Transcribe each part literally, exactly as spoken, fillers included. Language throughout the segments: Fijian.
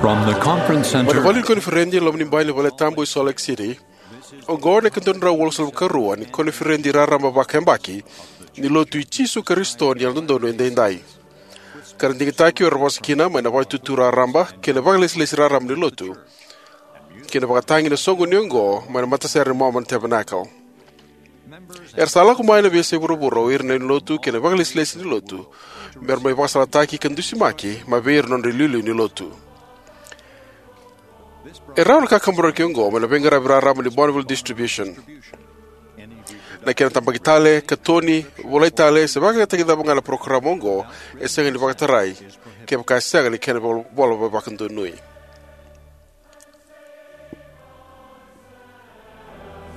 From the conference center. Mai na vale ni koniferedi e loma ni bai ni valetabu e Salt Lake City, oqo na ika dua na drau walusagavulu ka rua ni koniferedi raraba vakayabaki ni Lotu i Jisu Karisito ni Yalododonu Edaidai, ka ra digitaki o ira era vosa kina mai na Vakaitutu Raraba kei na Vakalesilesi Raraba ni Lotu, kei na vakatagi ena soqoni oqo mai na Matasere ni Mormon Tabernacle. Era sa lako mai na veiyasai vuravura o ira na lewe ni Lotu kei na vakalesilesi ni Lotu me ra mai vakasalataki ka dusimaki mai vei ira na nodra iliuliu ni Lotu. E rawa na kakaburaki oqo mai na veiqaravi raraba ni Bonneville Distribution. Na kena tabaki tale, katoni, volai tale, se vakayagataki cava ga na parokaramu oqo, e sega ni vakatarai kevaka e sega ni kena vola, vola vakadonui.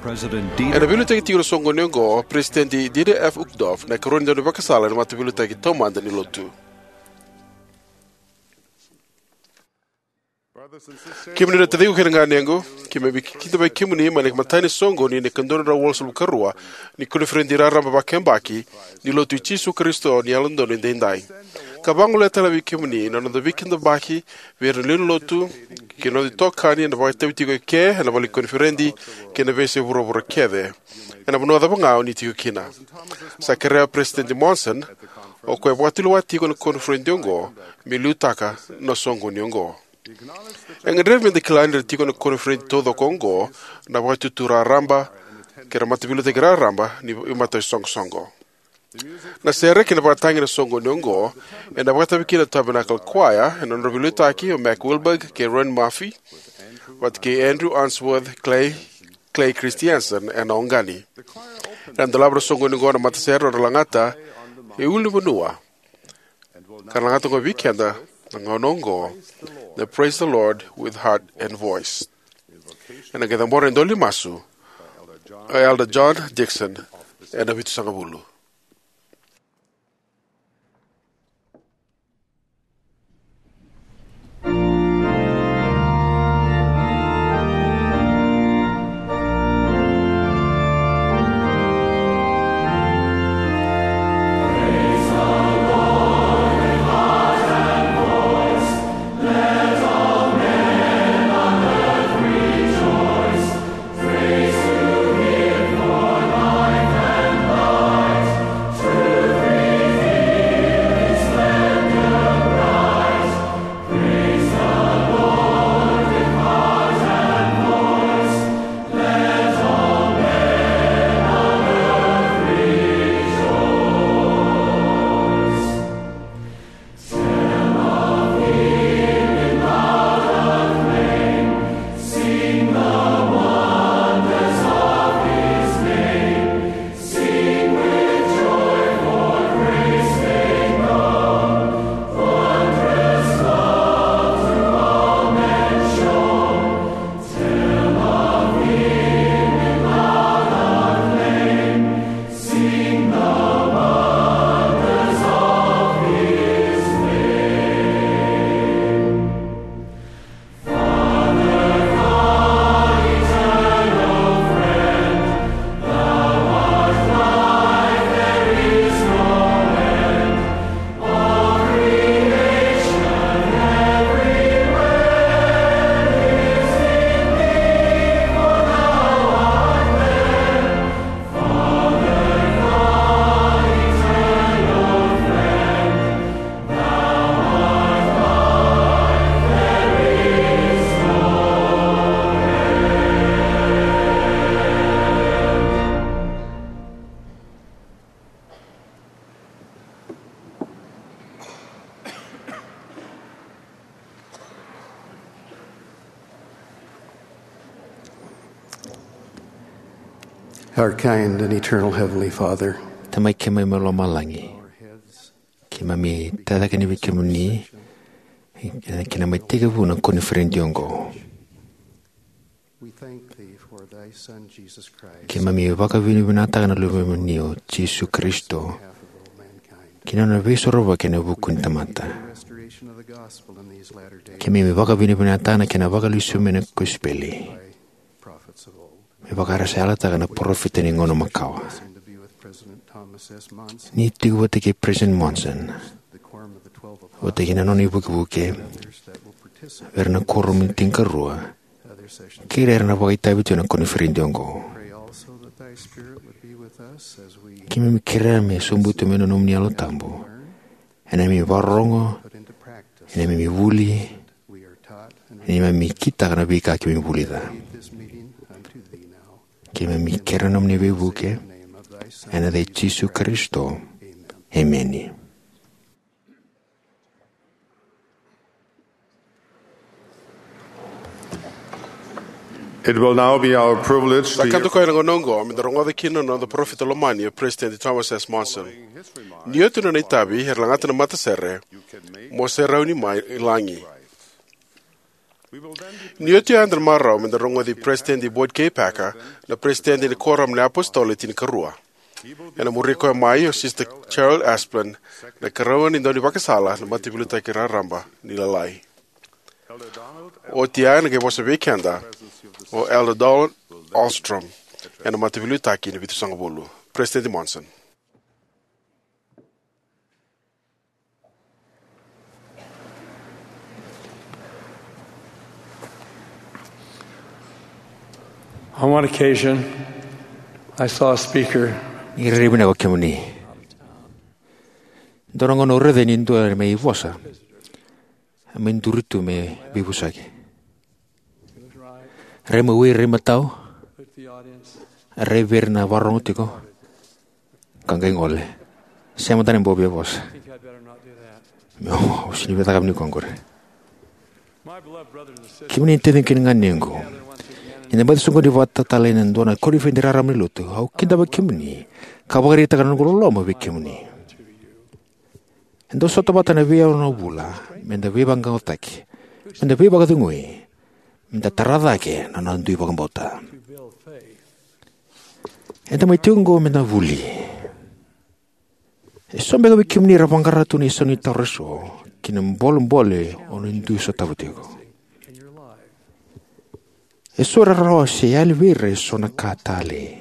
President Dieter. Ena veiliutaki tiko ena soqoni oqo o President Dieter F. Uchtdorf, na ikarua ni daunivakasala ena Mataveiliutaki Taumada ni Lotu. Kemuni na taciqu kei na ganequ, keimami kidavaki kemuni mai na imatai ni soqoni ni ika dua na drau walusagavulu ka rua ni koniferedi raraba vakayabaki ni Lotu i Jisu Karisito ni Yalododonu Edaidai, ka vagolea tale vei kemuni na noda veikidavaki vei ira na lewe ni Lotu kei na noda itokani ena vakaitavi tiko eke ena vale ni koniferedi kei na veiyasai vuravura kece, ena vanua cava ga o ni tiko kina. Sa kerea o President Monson, o koya e vakatulewa tiko ena koniferedi oqo, me liutaka na soqoni oqo. E gadrevi meda kila ni ra tiko ena koniferedi taucoko oqo na Vakaitutu Raraba kei na Mataveiliutaki Raraba ni Veimataisoqosoqo. Na sere kei na vakatagi ena soqoni oqo ena vakatavi kina na Tabernacle Choir ena nodra veiliutaki o Mac Wilberg kei Ron Murphy, vata kei Andrew Unsworth, Clay, Clay Christiansen ena oqani. Ena dolava na soqoni oqo na matasere, nodra lagata e ulunivanua, ka ra lagata oqo vei keda na gauna oqo na Praise the Lord with Heart and Voice. Ena qai cabora e dua na masu o Elder John Dixon ena vitusagavulu. Our kind and eternal Heavenly Father, Tamai keimami mai lomalagi, keimami tacake yani vei kemuni ena kena mai tekivu na koniferedi oqo. We thank thee for thy Son, Jesus Christ. Keimami vakavinavinakataka na Luvemuni o Jisu Karisito ki na nona veisorovaki ena vuku ni tamata. Restoration of the gospel in these latter days. Keimami vakavinavinakataka na kena vakalesuya mai na kosipeli. By prophets of old. Me vaka era sa yalataka na parofita ni gauna makawa. Blessing to be with President Thomas S. Monson. Ni tiko vata kei President Monson, the quorum of the twelve apostles, vata kei na nona ivukevuke, others that will vei ira na kuoramu e tinikarua kei ira era na vakaitavi tu ena koniferedi oqo. Keimami kerea me sobuti mai na nomuni Yalo Tabu ena neimami vakarorogo, ena neimami vuli, ena neimami kitaka na veika keimami vulica. Keimami kerea na nomuni veivuke ena yaca i Jisu Karisito. Emeni. It will now be our privilege to Sa hear ka toka ena gauna oqo me da rogoca kina na noda parofita lomani o President Thomas S. Monson. Ni oti na nona itavi era lagata na matasere, mo se rauni mai lagi. Ni oti oya eda na marau me da rogoci President Boyd K. Packer, na President ni Kuoramu ni iApositolo e tinikarua. Ena muri koya mai o Sister Cheryl Asplund, na ikarua ni daunivakasala na Mataveiliutaki Raraba ni Lalai. Oti ya ena qai vosa vei keda o Elder Donald Ahlstrom, ena Mataveiliutaki ni Vitusagavulu. President Monson. On one occasion, I saw a speaker. Ni rairai vinaka o kemuni. Dua na gauna au raica ni dua mai vosa, a mai duri tu me veivosaki. Rai mai wai, rai matau, rai vei ira na vakarorogo tiko, ka qai gole. Sema mada na bau via vosa. Meu, au sega ni via cakava ni koya qori. Kemuni na taciqu kei na ganequ, ni da baci soqoni vata tale ena dua na koniferedi raraba ni lotu, au kidavaki kemuni ka vakaraitaka na noqu loloma vei kemuni. Eda sota vata ena veiyalo na vula me da veivaqaqacotaki, me da veivakacegui, me da tara cake na noda dui vakabauta. Eda mai tiko oqo me da vuli. Eso beka vei kemuni era vaqara tu na isau ni taro eso kei na bolebole o ni dui sotava tiko. Eso era rawa se yali vei ira eso na ka talei.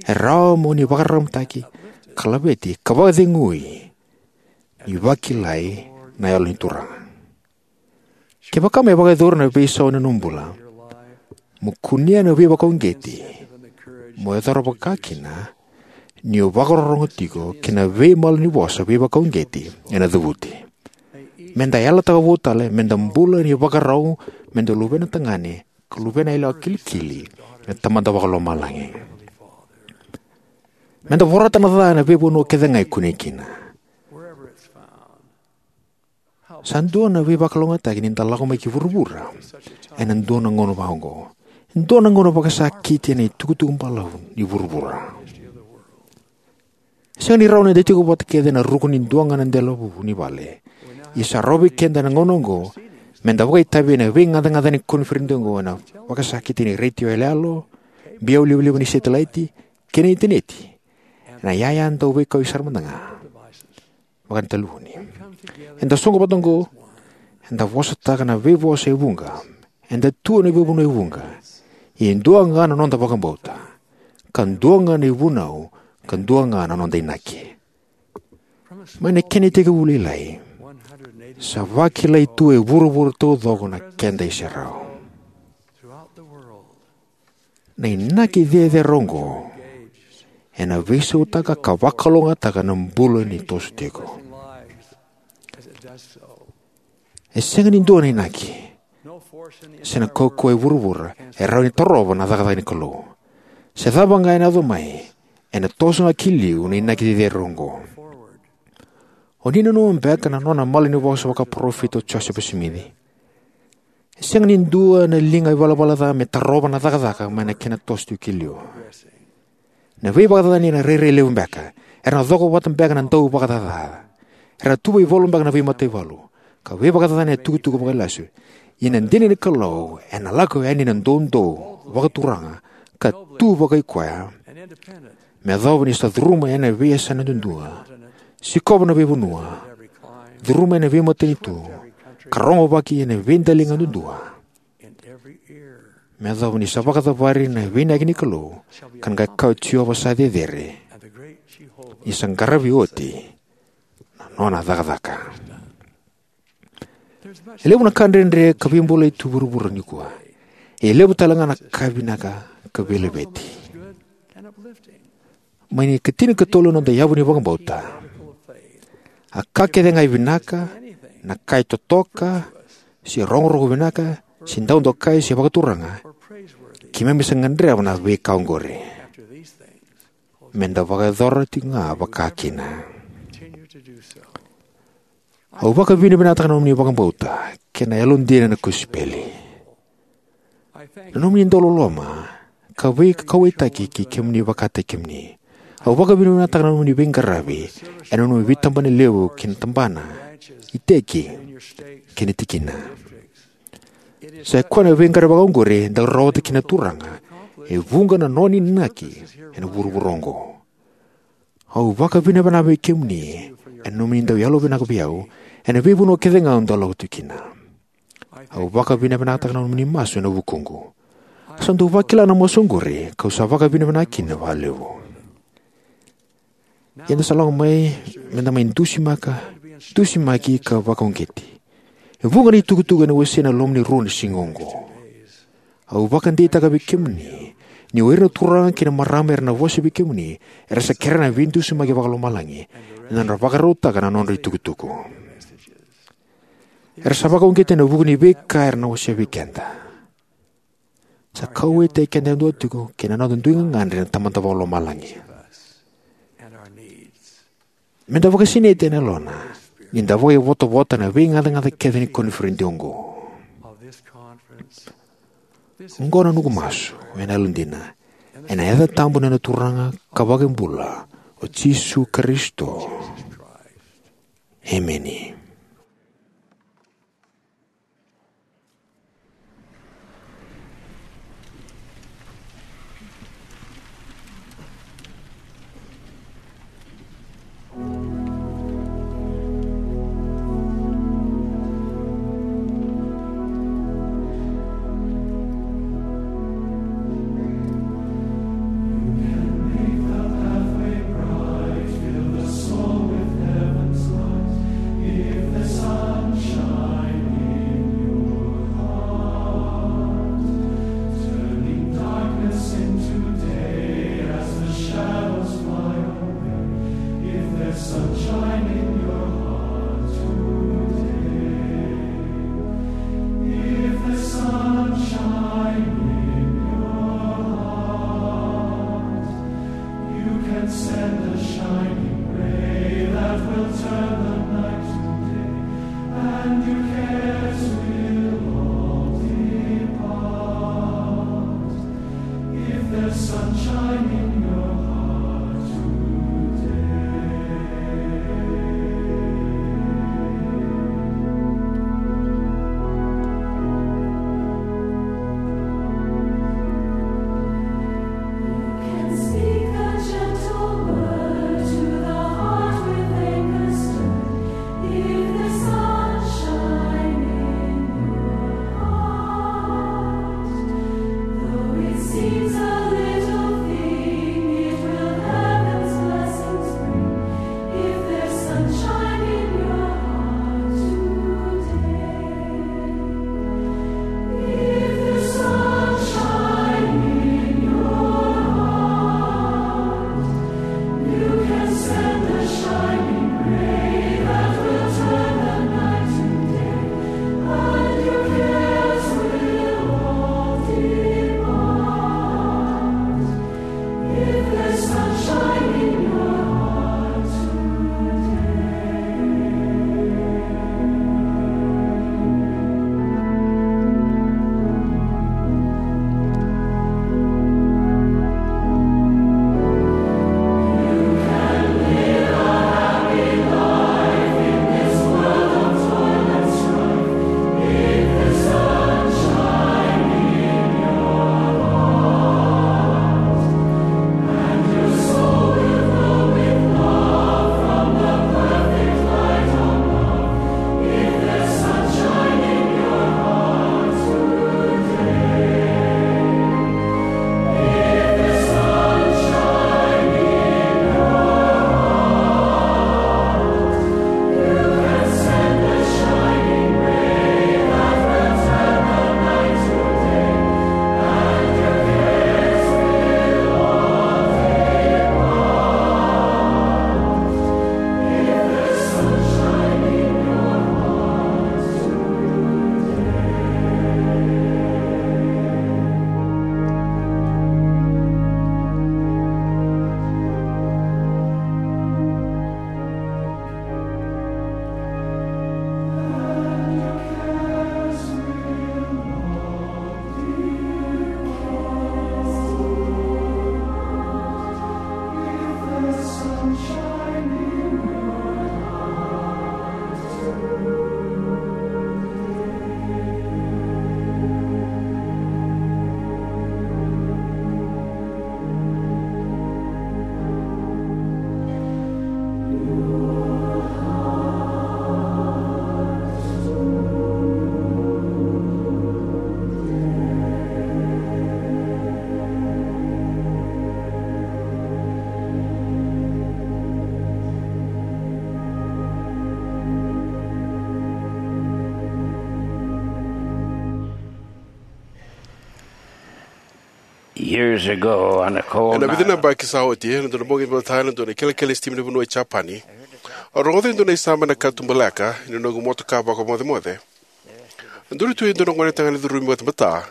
E rawa mo ni vakararamataki ka laveti ka vakacegui ni vakilai na Yalo ni Turaga. Kevaka me vakayacori na veisau ena nomu bula, mo kunea na veivakauqeti mo yacora vakakina ni o vakarorogo tiko kei na veimalanivosa veivakauqeti ena cavuti. Me da yalataka vou tale me da bula ni vakarau, me da luvena tagane ka luvena yalewa kilikili na Tamada Vakalomalagi. Me da vorata na ca ena veivanua kece ga e kunei kina. Sa dua na veivakalougatataki ni da lako mai ki vuravura ena dua na gauna vaqo, dua na gauna vakasakiti ena itukutuku balavu ni vuravura. Sega ni rawa ni da tiko vata kece ena ruku ni dua ga na delavuvu ni vale. Ia sa rawa vei keda ena gauna oqo me da vakaitavi ena veigacagaca ni koniferedi oqo, ena vakasakiti ni retio yaloyalo, biau livaliva ni setelaiti, kei na initaneti, ena yaya dau veikauyaki sara mada ga vaka na talevoni. Eda soqo vata oqo, eda vosataka na veivosa e vuqa, eda tu ena veivanua e vuqa. Ia e dua ga na noda vakabauta, ka dua ga na ivunau, ka dua ga na noda inaki. Mai na kena itekivu lailai, sa vakilai tu e vuravura taucoko na keda iserau. Na inaki cecere oqo ena veisautaka ka vakalougatataka na bula ni toso tiko. E sega ni dua na inaki se na kaukauwa e vuravura e rawa ni tarova na cakacaka ni Kalou. Se cava ga ena yaco mai, ena toso ga ki liu na inaki cecere oqo. O ni nanuma beka na nona malanivosa vakaparofita o Josefa Simici? E sega ni dua na liga ivalavala ca me tarova na cakacaka mai na kena toso tiko ki liu. Na veivakacacani ena rairai levu beka. Era na coko vata beka na dauvakacaca. Era na tuva ivalu beka na veimataivalu, ka veivakacacani ena tukutuku vakailasu. Ia na dina ni Kalou ena lako yani ena doudou vakaturaga ka tu vakai koya, me yacova ni sa curuma ena veiyasana duadua, sikova na veivanua, curuma ena veimatanitu, ka rogovaki ena veidaliga duadua. Me yacova ni sa vakacavari na veiinaki ni Kalou, ka na qai kaya o Jiova sa cecere, ni sa qaravi oti na nona cakacaka. E levu na ka dredre ka veibulai tu e vuravura nikua. E levu tale ga na ka vinaka ka veilaveti. Mai na ikatinikatolu na noda yavu ni vakabauta, a ka kece ga e vinaka, na ka e totoka, se rogorogo vinaka, se dau dokai, se vakaturaga, keimami sa gadreva na veika oqori. Meda vakayacora tiko ga vakakina. Au vakavinavinakataka na nomuni vakabauta kei na yalodina na kosipeli. Na nomuni dauloloma ka veikauwaitaki kei kemuni vakataki kemuni. Au vakavinavinakataka na nomuni veiqaravi ena nomuni veitabana levu kei na tabana, iteki, kei na tikina. Sa i koya na veiqaravi vakaoqori eda rawata kina na Turaga, e vuqa na nona inaki ena vuravura oqo. Au vakavinavinaka vei kemuni ena nomuni dau yalovinaka vei au ena veivanua kece ga au dau lako tu kina. Au vakavinavinakataka na nomuni masu ena vukuqu. Au sa dau vakila na masu oqori kau sa vakavinavinaka kina vakalevu. Ia da sa lako mai meda mai dusimaka, dusimaki ka vakauqeti. E vuqa na itukutuku ena wasei ena loma ni rua na siga oqo. Au vakadeitaka vei kemuni ni o ira na turaga kei na marama era na vosa vei kemuni era sa kerea na veidusimaki vakalomalagi ena nodra vakarautaka na nodra itukutuku. Era sa vakauqeti ena vuku ni veika era na wasea vei keda. Sa kauwaitaki keda yadua tiko kei na noda dui gagadre na Tamada Vakalomalagi. Meda vakasinaiti ena Yalona ni da vakaivotavota ena veigacagaca kece ni koniferedi oqo. Oqo na noqu masu ena yalodina, ena yaca tabu ni noda Turaga ka Vakabula, o Jisu Karisito. Emeni. Years ago, on a cold Ena vica na night, yabaki sa oti, ena dua na bogi vata, ena dua na kelekele ni sitima ni vanua e Japani, au rogoca e dua na isama ena katuba leka ni noqu motoka vakamocemoce. E duri tu e dua na gone tagane curumi batabata,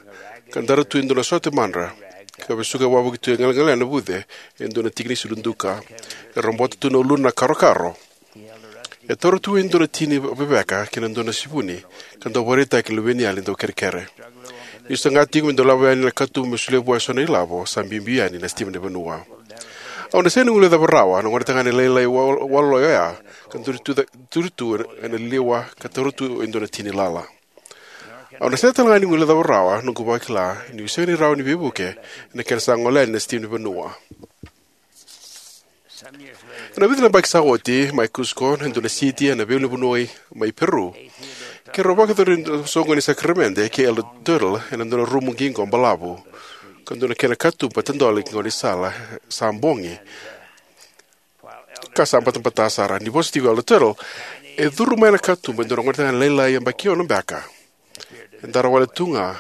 ka dara tu e dua na sote madra, ka vesuka wavoki tu e galegale na vuce e dua na tiki ni sulu duka. E robota tu na uluna na karokaro. E taura tu e dua na tini veveka kei na dua na sivuni, ka dau vakaraitaki na luveniyali dau kerekere. Niu saga tiko me dau lako yani na katuba me solia vua eso na ilavo, sa biubiu yani na sitima ni vanua. Au na sega ni guilecava rawa na gone tagane lailai wa-, waloloi oya, ka duri tu ca-, duri tu ena liwa, ka taura tu e dua na tini lala. Au na sega tale ga ni guilecava rawa noqu vakila niu sega ni rawa ni veivuke ena kena sa gole yani na sitima ni vanua. Ena vica na yabaki sa oti, mai Cusco, na dua na siti ena veiulunivanua mai Peru, keirau vakayacori e dua na soqoni ni sakaramede kei Elder Tuttle ena dua na rumu qiqo balavu, ka dua na kena katuba tadole ki gaunisala sa bogi, ka sa batabata sara. Ni vosa tiko o Elder Tuttle, e curu mai na katuba e dua na gone tagane lailai yabaki ono beka. E dara wale tu ga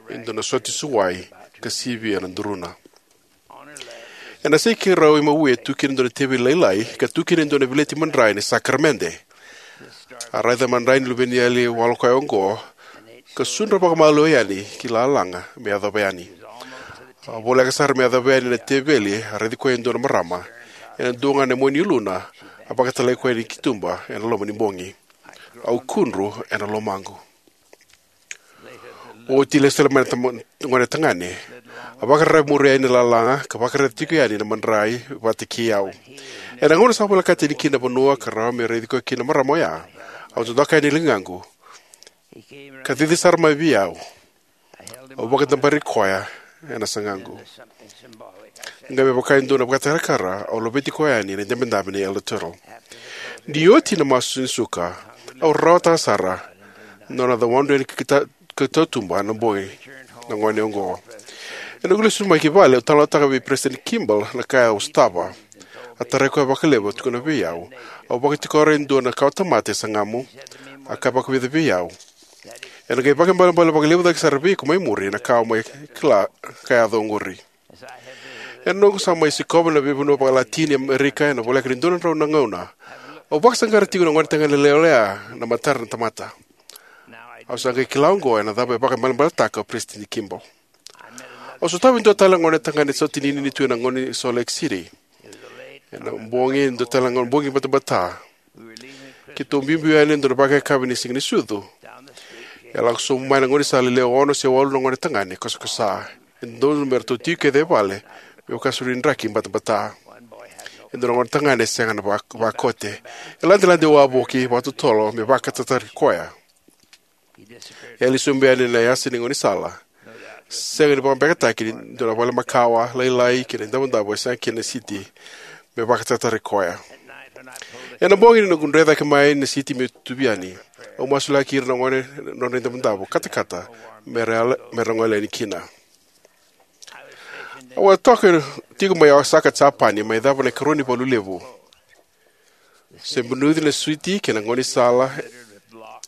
e dua na sote suwai ka sivia na duruna. Ena sei keirau imawi e tu kina e dua na teveli lailai, ka tu kina e dua na veleti madrai ni sakaramede. A raica madrai ni luveniyali walokoya oqo, ka sudra vakamalua yani ki lalaga me yacova yani. A voleka sara me yacova yani na teveli, a raici koya e dua na marama. Ena dua ga na mua ni uluna, a vakatalai koya yani ki tuba ena loma ni bogi. Au kudru ena lomaqu. Oti lesu tale mai na tama-, gone tagane. A vakararavi muri yani na lalaga, ka vakararavi tiko yani na madrai vata kei au. Ena gauna sa volekata yani kina na vanua ka rawa me raici koya kina na marama oya, au dodoka yani na ligaqu, ka cici sara mai vei au. Au vakadabari koya ena sagaqu. Qai me vaka e dua na vakatakarakara, au laveti koya yani ena idabedabe nei Elder Tuttle. Ni oti na masu ni suka, au rawata sara na nona cawadre ni kita-, ka tautuba na bogi na gone oqo. Ena noqu lesu mai ki vale, au talanoataka vei President Kimball na ka au sotava. A tarai koya vakalevu, a tukuna vei au, au vakatikora e dua na kawatamata e sagamu. A kaya vakavica vei au, ena qai vakaibalebale vakalevu cake sara vei iko mai muri na ka au mai kila ka yaco oqori. Ena noqu sa mai sikova na veivanua vakaLatini Amerika ena voleka ni dua na drau na gauna, au vakasaqara tiko na gone tagane lailai oya na matara na tamata. Au sa qai kila oqo ena cava e vakaibalebaletaka o President Kimball. Au sotava e dua tale na gone tagane sa tini ni tu ena gauna ni Salt Lake City. Ena bogi, e dua tale na gauna bogi batabata. Keitou biubiu yani ena dua na vakayakavi ni Siga ni Sucu. E lako sobu mai na gaunisala e lewe ono se walu na gone tagane kosakosa. E dodonu me ratou tiko kece e vale me vaka sa rui draki batabata. E dua na gone tagane e sega na va-, vakote. E ladelade wavoki vakatotolo me vakatatari koya. E yali sobu yani ena yasa ni gaunisala. Sega ni vakabekataki ni dua na vale makawa lailai kei na idavodavo e sega kina na siti me vakatatari koya. Ena bogi ni noqu dre cake mai na siti meu tuvi yani, au masulaki ira na gone na nodra idavodavo katakata me ra yala, me ra gole yani kina. Au a toka tiko mai Osaka, Japani, mai cava na ikarua ni valu levu. Se bunuci na siti kei na gaunisala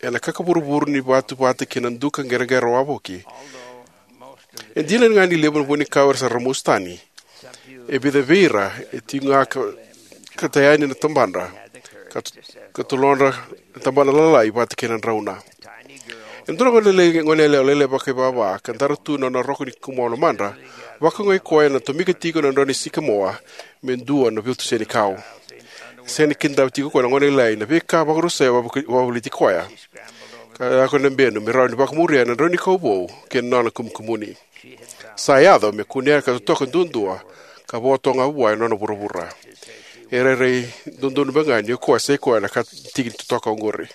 ena kakavuruvuru ni vatu vata kei na duka qereqere wavoki. E dina ga ni levu na vunikau era sa ramusu tani, e vica vei ira e tiko ga ka, ka taya yani na tabadra, ka to-, ka tolodra na tabana lalai vata kei na drauna. E dua na gone lailai, gone yalewa lailai vakaivava, ka dara tu na nona roko ni kumoa lomadra, vakaogai koya na tomika tiko na drau ni sikamoa me dua na vitu senikau. Sega ni kidava tiko koya na gone lailai na veika vakarusai e vakavu-, vakavulici koya. Ka lako ena benu me rawa ni vakamuria na drau ni kau vou kei na nona kumukumuni. Sa yaco me kunea ka totoka duadua, ka vo toka ga vua e nona vuravura. E rairai dodonu beka ga ni o koya sai koya na ka tiki ni totoka oqori.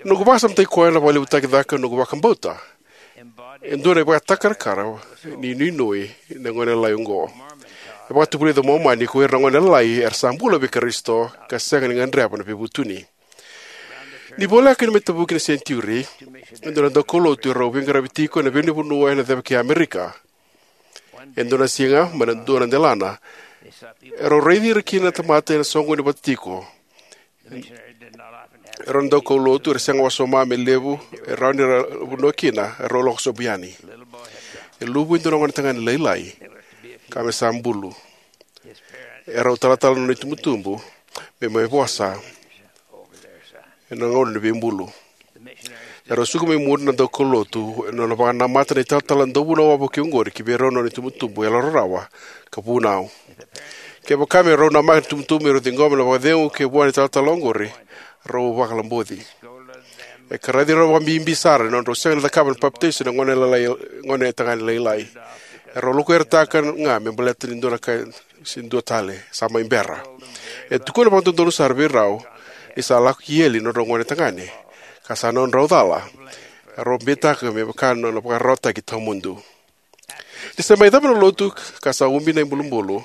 Noqu vakasamataki koya na vakalevutaki cake noqu vakabauta, e dua na ivakatakarakara ni nuinui na gone lalai oqo. E vakatavulica o Momani ko ira na gone lalai era sa bula vei Karisito ka sega ni gadreva na veivutuni. Ni voleka ni mai tavuki na senijiuri, e dua na daukaulotu e rau veiqaravi tiko ena veivanua ena ceva kei Amerika. E dua na siga, mai na dua na delana, e rau raici ira kina na tamata ena soqoni vata tiko. E rau na daukaulotu era sega wasoma me levu e rawa ni ra vanua kina, e rau lako sobu yani. E luvu e dua na gonetagane lailai ka me sa bulu. E rau talatala na nona itubutubu me mai vosa ena gauna ni veibulu. E rau suka mai muri na daukaulotu ena nona vakanamata na italatala dauvunau vakaoqori ki vei rau na nona itubutubu yalorarawa ka vunau. Kevaka me rau namaka na itubutubu me rau ciqoma na vakacegu kei vua na italatala oqori, rau vakalaboci. E karaici rau vakabibi sara ena nodrau sega ni cakava na papitaiso na gone lailai, gonetagane lailai. E rau lokuyarataka ga me baleta ni dua na ka se dua tale sa mai bera. E tukuna vakadodonu sara vei rau ni sa lako ki eli na nodrau gonetagane ka sa nodrau cala. E rau beitaka me vaka na nona vakararawataki tawamudu. Ni sa mai cava na lotu ka sa ubi na ibulubulu,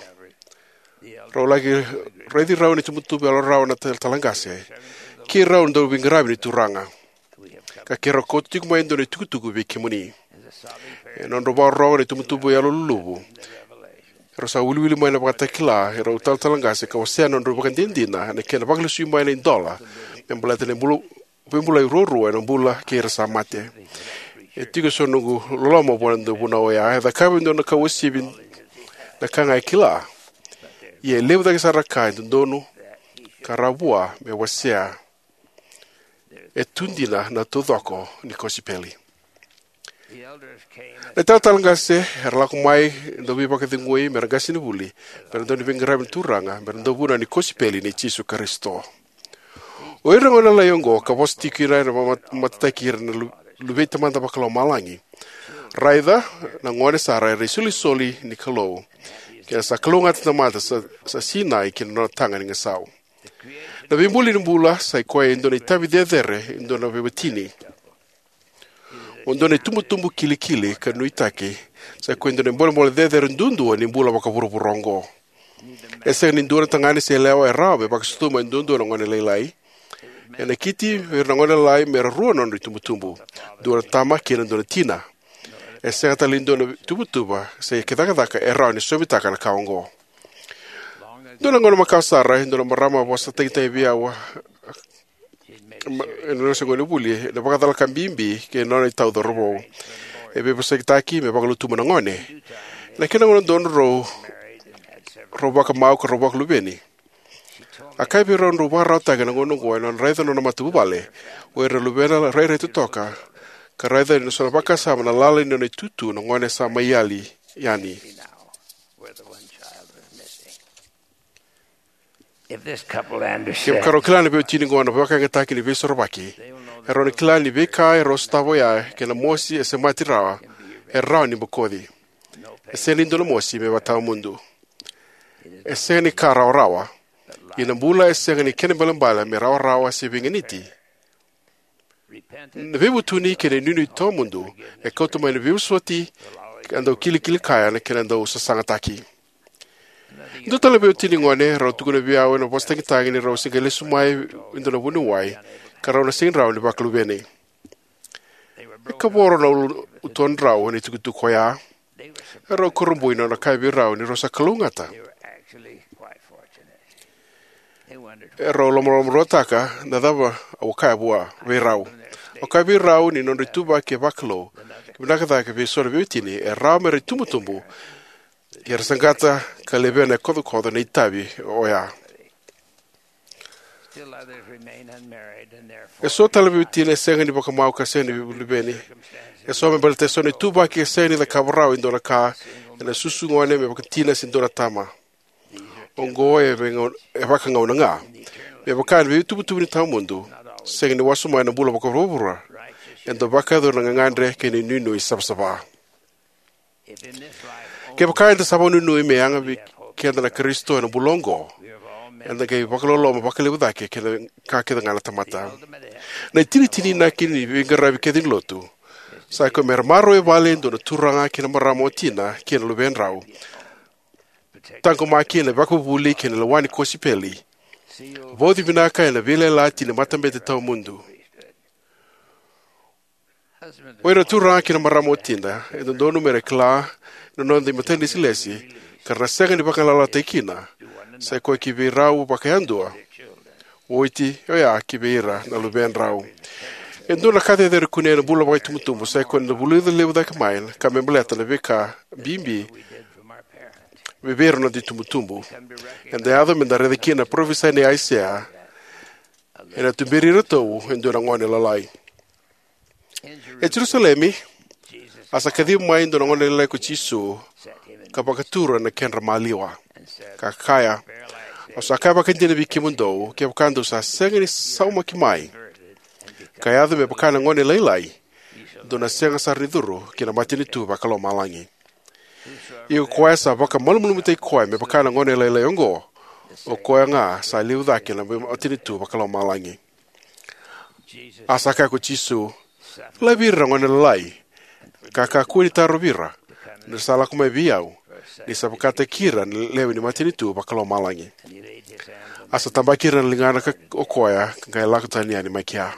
rau laki raici rau ena itubutubu yalorarawa na talatala qase. Keirau na dauveiqaravi ni Turaga, ka keirau kauta tiko mai e dua na itukutuku vei kemuni. Ena nodrau vakarorogo ena itubutubu yaloluluvu, erau sa wiliwili mai na vakatakila e rau talatala qase ka wasea na nodrau ivakadinadina ena kena vakalesui mai na idola me baleta na bula, veibulai ruarua ena bula kei ira sa mate. E tiko eso na noqu loloma vua na dauvunau oya. E cakava e dua na ka uasivi na ka ga e kila, ia e levu cake sara na ka e dodonu ka rawa vua me wasea. E tu dina na taucoko ni kosipeli. Na italatala qase era lako mai e dau veivakacegui me ra qasenivuli, me ra dau ni veiqaravi ni Turaga, me ra dau vunau ni kosipeli nei Jisu Karisito. O ira na gone lalai oqo ka vosa tiko kina era mat-, matataki ira na lu-, luvei Tamada Vakalomalagi. Raica na gone sara era isolisoli ni Kalou, ke sa kalougata na tamata sa, sa sinai ki na nona taga ni gasau. Na veibuli ni bula sa i koya e dua na itavi cecere e dua na veiwatini. O dua na itubutubu kilikili ka nuitaki sa i koya e dua na ibolebole cecere duadua ni bula vakavuravura oqo. E sega ni dua na tagane se yalewa e rawa me vakasucuma e duadua na gone lailai. E nakiti o ira na gone lalai me ra rua na nodra itubutubu, dua na tama kei na dua na tina. E sega tale ni dua na ituvatuva se cakacaka e rawa ni sovitaka na ka oqo. Dua na gauna makawa sara, e dua na marama a vosa tagitagi vei au, ma-, ena noda se gonevuli, ena vakacalaka bibi kei na nona itau cauravou. E veivosakitaki me vakalutuma na gone. Na kena gauna donu rau, rau vakamau ka rau vakaluveni. A kaya vei rau ni rau vakararawataka na gauna oqo ena nona raica na nona matavuvale, o ira na luvena rairai totoka, ka raica ena so na vakasama na lala ni nona itutu na gone sa mai yali yani. If this couple understood, kevaka rau kila na veiwatini oqo na vakayagataki ni Veisorovaki, e rau na kila ni veika e rau sotava oya kei na mosi e semati rawa, e rawa ni bokoci. E sega ni dua na mosi me vakatawamudu. E sega ni ka rawarawa. Ia na bula e sega ni kena ibalebale me rawarawa se veiganiti. Na veivutuni kei na inuinui tawamudu e kauta mai na veivosoti, ka dau kilikili kaya na kena dau sasagataki. Dua tale na veiwatini gone rau tukuna vei au ena vosa tagitagi ni rau se qai lesu mai e dua na vuniwai, ka rau na sega ni rawa ni vakaluveni. E kavoro na ulu-, utodrau ena itukutuku oya. Erau kurabui na nona kaya vei rau ni rau sa kalougata. Erau lomalomaruataka na cava au kaya vua vei rau. Au kaya vei rau ni nodra ituvaki e vakalou, ka vinaka cake vei so na veiwatini e rawa me ra itubutubu, ia era saqata ka levea na kocokoco na itavi oya. Still others remain unmarried and therefore E so tale na veiwatini e sega ni vakamau ka sega ni luveni. E so me baleta e so na ituvaki e sega ni cakava rawa e dua na ka ena susu gone me vakatina se dua na tama. Oqo e veigauna, e vakagauna ga. Me vaka na veituvatuva ni tawamudu, sega ni wasoma ena bula vakavuravura. Eda vakayacora na gagadre kei na inuinui savasava. Kevaka eda sa vakanuinui me yaga vei keda na Karisito ena bula oqo, eda qai vakaloloma vakalevu cake kei na ka kece ga na tamata. Na itinitini inaki ni veiqaravi kece ni lotu sa i koya me ra maroroya e vale e dua na turaga kei na marama watina kei na luvedrau, taqomaki ena ivakavuvuli kei na lewa ni kosipeli, vauci vinaka ena veiyalayalati ni matabete tawamudu. O ira na turaga kei na marama watina, e dodonu me ra kila na noda imatailesilesi, ka ra na sega ni vagalalataki kina, sa i koya ki vei rau vakayadua, oti oya ki vei ira na luvedrau. E dua na ka cecere kune ena bula vakaitubutubu sai koya na vulica levu cake mai na ka me baleta na veika bibi vei ira na noda itubutubu. Eda yaco me da raica kina na parofisai nei Aisea: Ena tuberi iratou e dua na gone lalai. E Jerusalemi, a sa kacivi mai e dua na gone lalai ko Jisu, ka vakatura na kedra maliwa, ka kaya: Au sa kaya vakaidina vei kemudou, kevaka dou sa sega ni saumaki mai, ka yaco me vaka na gone lalai, dou na sega sara ni curu ki na matanitu vakalomalagi. Ia ko koya sa vakamalumalumutaki koya me vaka na gone lalai oqo, o koya ga sa levu cake na matanitu vakalomalagi. A sa kaya ko Jisu: Laivi ira na gone lalai, ka kakua ni tarovi ira, ni ra sa lako mai vei au, ni sa vakataki ira na lewe ni matanitu vakalomalagi. A sa tabaki ira na ligana ka, o koya, ka qai lako tani yani mai kea.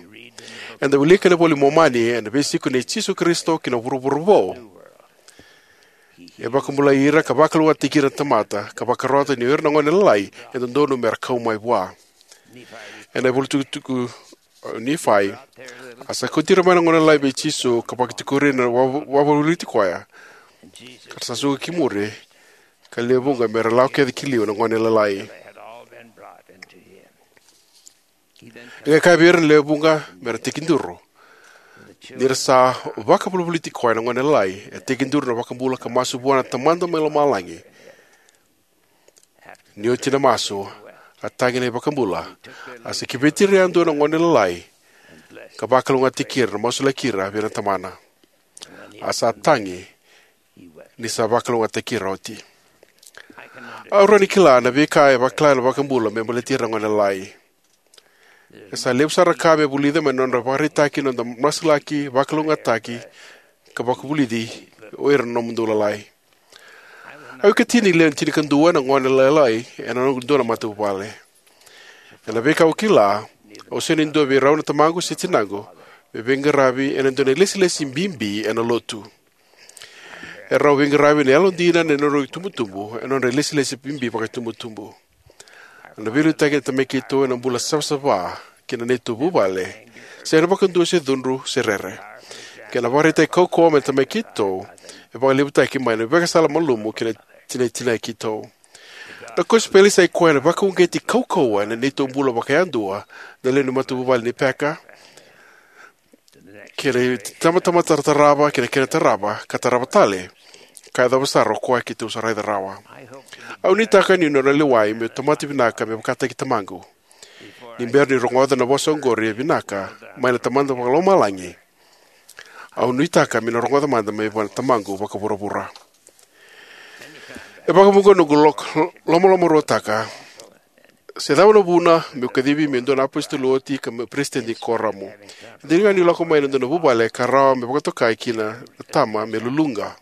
Eda wilika ena iVola i Momani na veisiko nei Jisu Karisito ki na vuravura vou. E vakabulai ira ka vakalougatataki ira na tamata, ka vakarota ni o ira na gone lalai e dodonu me ra kau mai vua. Ena ivola tukutuku, uh, Nifai, a sa kauti ira mai na gone lalai vei Jisu, ka vakatikori ira na wa-, wavoliti koya, ka ra sa suka ki muri, ka lewe vuqa me ra lako kece ki liu na gone lalai. E qai kaya vei ira na lewe vuqa me ra tekiduru. Ni ra sa vakavolivoliti koya na gone lalai, e tekiduru na iVakabula ka masu vua na Tamada mai lomalagi. Ni oti na masu, a tagi na iVakabula, a sa kiveti ira yadua na gone lalai, ka vakalougatataki ira, na masulaki ira vei na tamana. A sa tagi ni sa vakalougatataki ira oti. Au rawa ni kila na veika e vakila na iVakabula me baleti ira na gone lalai. E sa levu sara na ka me vulica mai na nodra vakaraitaki na noda masulaki, vakalougatataki, ka vakavulici o ira na nomudou lalai. Au ikatini lewe ni tinikadua na gone lalai ena noqu dua na matavuvale. Ena veika au kila, au sega ni dua vei rau na tamaqu se tinaqu me veiqaravi ena dua na ilesilesi bibi ena lotu. Erau veiqaravi ena yalodina ena nodrau itubutubu, ena nodra ilesilesi bibi vakaitubutubu. Na veiliutaki ni tamai keitou ena bula savasava kei na neitou vuvale, sega vakadua se cudru se rere, kei na vakaraitaki kaukauwa mai na tamai keitou, e vakalevutaki mai na ivakasala malumu kei na tinatinai keitou. Na kosipeli sai koya na vakauqeti kaukauwa ena neitou bula vakayadua, na lewe ni matavuvale ni peka, kei na itabatamata tarava, kei na kena tarava, ka tarava tale, ka yacova sara o koya keitou sa raica rawa. Au nuitaka niu na lewai meu tamata vinaka me vakataki tamaqu. Ni bera niu rogoca na vosa oqori e vinaka mai na Tamada vakalomalagi, au nuitaka meu na rogoca mada mai vua na tamaqu vakavuravura. E vakavuqa noqu lok-, lomalomaruataka se cava na vuna meu kacivi meu dua na apositolo oti ka meu peresitedi ni kuoramu. E dina ga niu lako mai ena dua na vuvale ka rawa me vakatokai kina na tama me luluqa.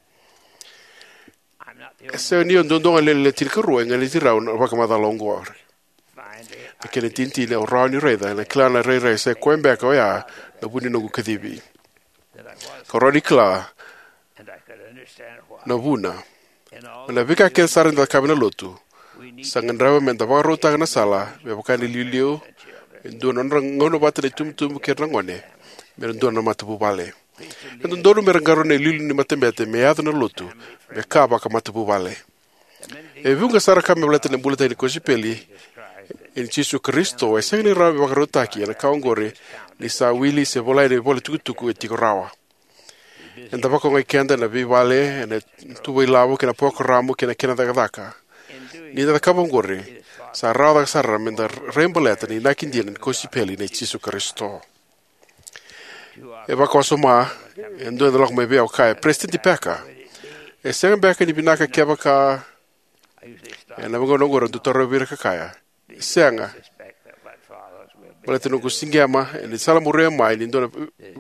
E sega ni o duadua ga na lewe ni tinikarua e ganiti rau na vakamacala oqori. Na kena itinitini, au rawa niu raica ena kila na irairai sai koya beka oya na vu ni noqu kacivi. Kau rawa ni kila na vuna. Mai na veika kece sara eda cakava ena lotu, sa gadreva meda vakarautaka na sala me vaka na iliuliu e dua na nodra gauna vata na itubutubu kei ira na gone me ra dua na matavuvale. E dodonu me ra qarauna na iliuliu ni matabete me yaco na lotu, me ka vakamatavuvale. E vuqa sara ka me baleta na bulataki ni kosipeli i Jisu Karisito e sega ni rawa me vakarautaki ena ka oqori ni sa wili se volai ena ivola tukutuku e tiko rawa. Eda vakaogai keda ena veivale, ena tuva ilavo, kei na parokaramu, kei na kena cakacaka. Ni da cakava oqori, sa rawa cake sara meda rai baleta na inaki dina ni kosipeli nei Jisu Karisito. E vakawasoma, e dua eda lako mai vei au kaya, Peresitedi Packer, e sega beka ni vinaka kevaka, ena veigauna oqori au dau tarogi ira ka kaya, sega. Baleta noqu siqema ena sala muria mai ni dua na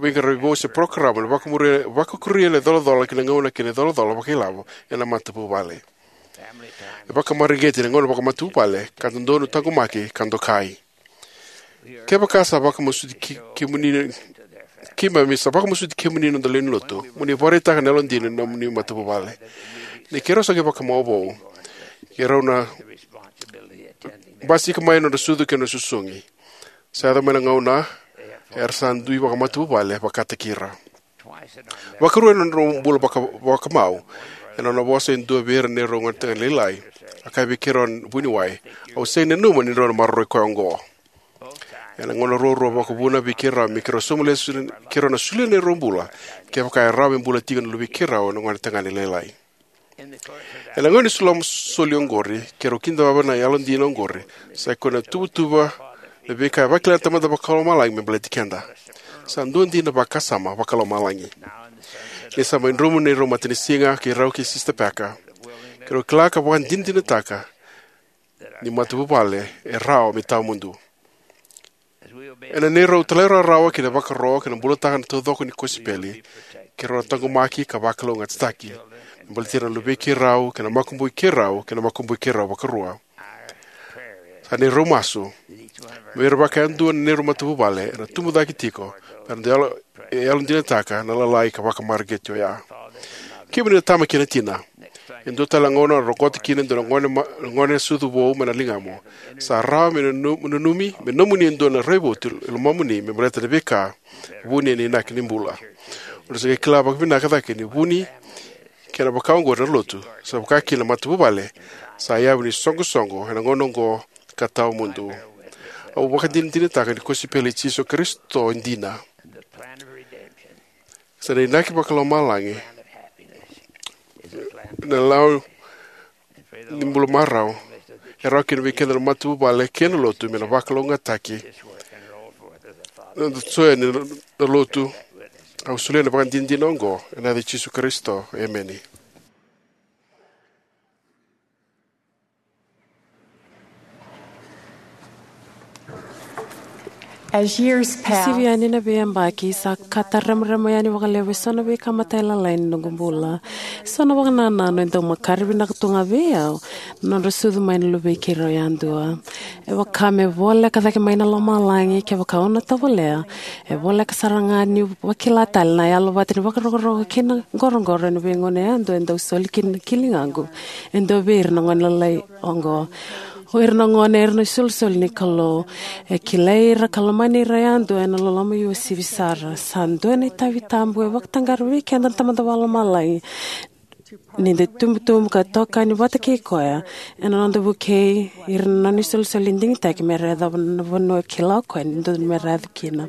veiqaravi vou se parokaramu ena vakamuria, vakakuria na icolacola kei na gauna kei na icolacola vakailavo ena matavuvale. E vakamareqeti na gauna vakamatavuvale ka dodonu taqomaki ka dokai. Kevaka sa vakamasuti ke-, kemuni, keimami sa vakamasuti kemuni na noda lewe ni lotu, mo ni vakaraitaka na yalodina ni nomuni matavuvale. Ni keirau sa qai vakamau vou, keirau na basika mai na nodra sucu kei na nodra susugi. Sa yaco mai na gauna, era sa dui vakamatavuvale vakataki ira. Vakarua ena nodrau bula vaka, vakamau, ena nona vosa e dua vei ira na neirau gonetagane lailai, a kaya vei keirau na vuniwai, "Au sega ni nanuma ni drau na maroroi koya oqo." Ena gauna ruarua vakavuna vei keirau me keirau sauma lesu keirau na solia na neirau bula, kevaka e rawa me bula tiko na luvei keirau na gonetagane lailai. Ena gauna ni suloma soli oqori, keirau kidavaka na yalodina oqori, sa i koya na tuvatuva na veika e vakila na Tamada Vakalomalagi me baleti keda. Sa dua dina vakasama vakalomalagi. Ni sa mai dromu na neirau matanisiga kei rau kei Sista Packer, keirau kila ka vakadinadinataka ni matavuvale e rawa me tawamudu. Ena neirau talairawarawa ki na vakaro kei na bulataka na taucoko ni kosipeli, keirau na taqomaki ka vakalougatataki me baleti ira na luvei keirau kei na makubui keirau kei na makubui keirau vakarua. Sa neirau masu me ira vakayadua na neirau matavuvale era tubu cake tiko, era dau yalo, yalodinataka na lalai ka vakamareqeti oya. Kemuni na tama kei na tina, e dua tale na gauna o rokota kina e dua na gone, ma, gone sucu vou mai na ligamu. Sa rawa me nanu, nanumi me nomuni e dua na raivotu e lomamuni me baleta na veika vuni ena inaki ni bula. O na sa qai kila vakavinaka cake ni vuni kei na vaka oqori na lotu, sa vaka kina na matavuvale, sa yavu ni soqosoqo ena gauna oqo ka tawamudu. Au vakadinadinataka ni kosipeli i Jisu Karisito e dina. Sa na inaki vakalomalagi na lau ni bula marau e rawa kina vei keda na matavuvale kei na lotu me na vakalougatataki na noda soya ni na lotu. Au solia na vakadinadina oqo ena yaca i Jisu Karisito, emeni. As years pass, sivi yani na veiyabaki, sa kata remarema yani vakalevu eso na veika matailalai ni noqu bula. Eso na vakanananu e dau makare vinaka tu ga vei au na nodra sucu mai na luvei keirau yadua. E vaka me voleka cake mai na lomalagi, kevaka au na tovolea, e voleka sara ga niu vakila tale na yalo vata ni vakarokoroko kei na qoroqoro ena veigauna yadua e dau soli kina na kiligaqu e dua vei ira na gone lalai oqo. O ira na gone era na isolisoli ni Kalou. E kilai ira ka lomani ira yadua ena loloma uasivi sara. Sa dua na itavi tabu e vakataqara vei keda na Tamada Vakalomalagi ni da itubutubu ka tokani vata kei koya ena noda vukei ira na nona isolisoli digitaki me ra yacova na vanua e kila o koya ni dodonu me ra yaco kina.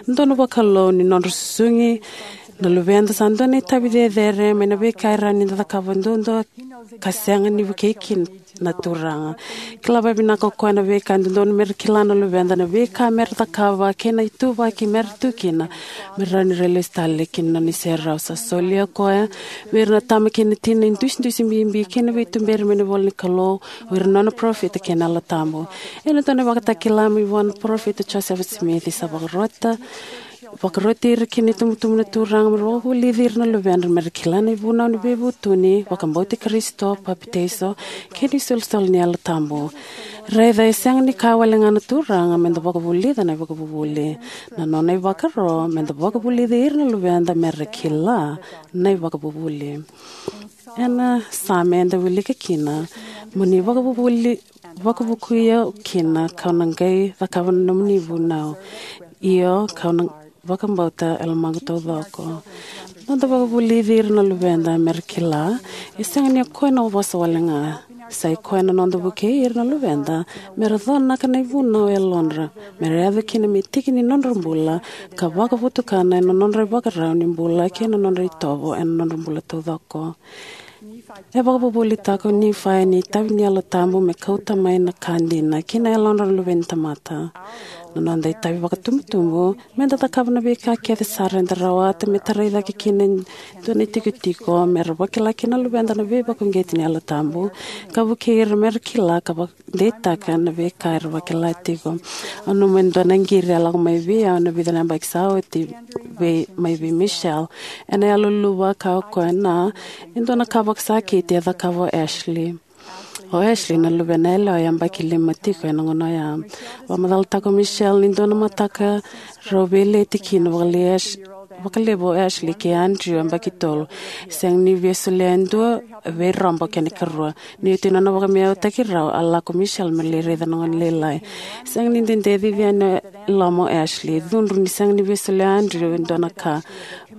Dodonu vakalou ni nodra susugi na luveda sa dua na itavi cecere mai na veika e rawa ni da cakava duadua ka sega ni vukei kina na Turaga. Kila vakavinaka o koya na veika e dodonu me ra kila na luveda, na veika me ra cakava kei na ituvaki me ra tu kina me rawa ni ra lesu tale ki na nona iserau. Sa solia o koya vei ira na tama kei na tina idusidusi bibi kei na veituberi mai na ivola ni Kalou, o ira na nona parofita kei na Yalo Tabu. Ena dua na ivakatakila mai vua na parofita Josefa Simici, sa vakarota, vakaroti ira ki na itubutubu na Turaga me ra vakavulici ira na luvedra me ra kila na ivunau ni veivutuni, vakabauti Karisito, papitaiso, kei na isolisoli ni Yalo Tabu. Raica, e sega ni kaya wale ga na Turaga me da vakavulica na ivakavuvuli. Na nona ivakaro me da vakavulici ira na luveda me ra kila na ivakavuvuli. Ena Same eda wilika kina, mo ni vakavuvuli, vakavukuya kina, kau na qai cakava na nomuni vunau. Io, kau na vakabauta e lomaqu taucoko. Noda vakavulici ira na luveda me ra kila, e sega ni o koya na vosa wale ga. Sa i koya na noda vukei ira na luveda me ra conaka na ivunau e yalodra, me ra yaco kina me tiki ni nodra bula, ka vakavotukana ena nodra ivakarau ni bula kei na nodra itovo ena nodra bula taucoko. E vakavuvulitaka o Nifai ni itavi ni Yalo Tabu me kauta mai na ka dina ki na yalodra na luve ni tamata. Na noda itavi vakatubutubu me da cakava na veika kece sara eda rawata me tarai cake kina e dua na itikotiko me ra vakila kina na luveda na veivakauqeti ni Yalo Tabu, ka vukei ira me ra kila ka vakadeitaka na veika era vakila tiko. Au nanuma e dua na qiri a lako mai vei au ena vica na yabaki sa oti, vei, mai vei Michelle. Ena yaloluluvu a kaya o koya na, e dua na ka vakasakiti e cakava o Ashley. O Ashley na luvena yalewa, yabaki lima tiko ena gauna oya. Vakamacalataka o Michelle ni dua na mataka rau veileti kina vakalevu o Ash-, vakalevu o Ashley kei Andrew, yabaki tolu. Sega ni via solia e dua vei rau, bau kena ikarua. Ni oti na nona vakavinavinakataki rau, a lako o Michelle me lai raica na gone lailai. Sega ni dede cici yani loma o Ashley. Cudru ni sega ni via solia o Andrew e dua na ka.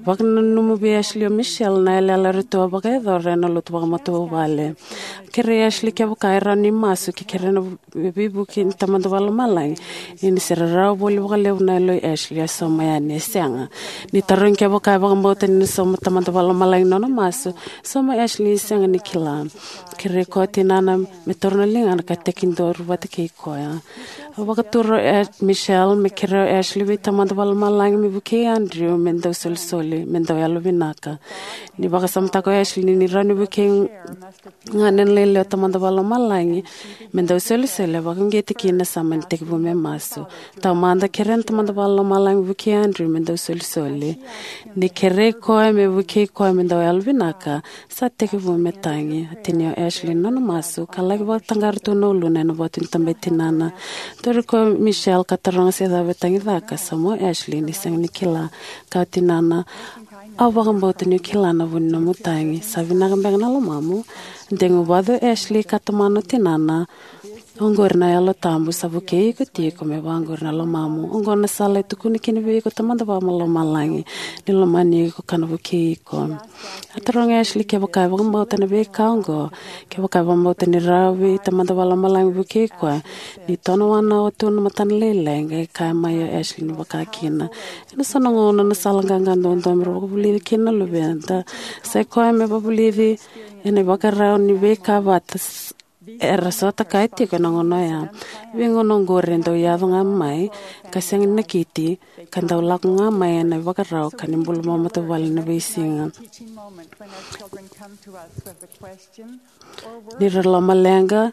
Vakananuma vei Ashley o Michelle na yalayala eratou a vakayacora ena lotu vakamatavuvale. Kerei Ashley kevaka e rawa ni masu ke kerei na veivuke ni Tamada Vakalomalagi. Ia ni se rarawa voli vakalevu na yalo i Ashley, a sauma yani. E sega. Ni tarogi kevaka e vakabauta ni na sauma Tamada Vakalomalagi na nona masu, sauma Ashley ni sega ni kila. Kerei koya o tinana me taura na ligana ka tekiduru vata kei koya. A vakatura o Michelle me kerei o Ashley vei Tamada Vakalomalagi me vukei Andrew me dau solisoli, me dau yalovinaka. Ni vakasamataka o Ashley ni rawa ni vukei ga na lailai o Tamada Vakalomalagi me dau solisoli, a vakauqeti kina sa mani tekivu me masu. Taumada, kerei na Tamada Vakalomalagi vukei Andrew me dau solisoli. Ni kerei koya me vukei koya me dau yalovinaka, sa tekivu me tagi. A tinia o Ashley na nona masu ka laki vakataqara tu na uluna ena vatu ni taba i tinana. Tauri koya o Michelle ka taroga se cava e tagicaka, sauma o Ashley ni sega ni kila. Kaya o tinana, au vakabauta niu kila na vu ni nomu tagi. Sa vinaka beka na lomamu? Degu vata o Ashley ka tomana o tinana. Oqori na Yalo Tabu sa vukei iko tiko me vaqori na lomamu. Oqo na sala e tukuna kina vei iko Tamada Vakalomalagi ni lomani iko ka na vukei iko. A taroga o Ashley kevaka e vakabauta na veika oqo, kevaka e vakabauta ni rawa vei Tamada Vakalomalagi vukei koya. Ni tonowana o tu na matana lailai, qai kaya mai o Ashley ni vakakina. Ena so na gauna na sala qaqa duadua mera vakavulici kina na luveda sa ikoya me vakavulici ena ivakarau ni veika vata era sota kaya tiko ena gauna oya. Veigauna oqori e dau yaco ga mai ka sega ni nakiti, ka dau lako ga mai ena ivakarau ka ni bula vakamatavuvale ena veisiga. Ni ra lomaleqa,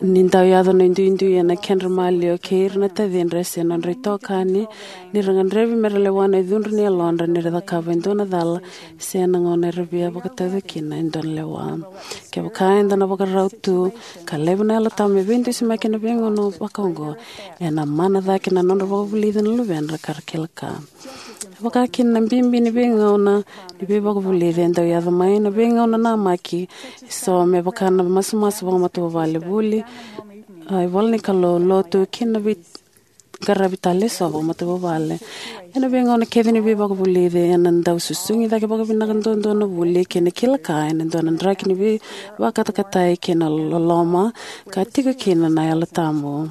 ni dau yaco na iduidui ena kedra maliwa kei ira na tacidra se nodra itokani, ni ra gadrevi mera lewa na icudru ni yalodra ni ra cakava e dua na cala se na gauna era via vakatauca kina e dua na lewa. Kevaka eda na vakarau tu ka laiva na Yalo Tabu me veidusimaki ena veigauna vaka oqo, ena mana cake na nodra vakavulici na luvedra ka ra kila ka. Vaka kina na bibi ni veigauna ni veivakavulici e dau yaco mai na veigauna namaki eso me vaka na masumasu vakamatavuvale, vuli, a, ivola ni Kalou, lotu kei na veiqaravi tale eso vakamatavuvale. Ena veigauna kece ni veivakavulici ena dau susugi cake vakavinaka duadua na vuli kei na kila ka ena dua na draki ni veivakatakatai kei na loloma ka tiko kina na Yalo Tabu.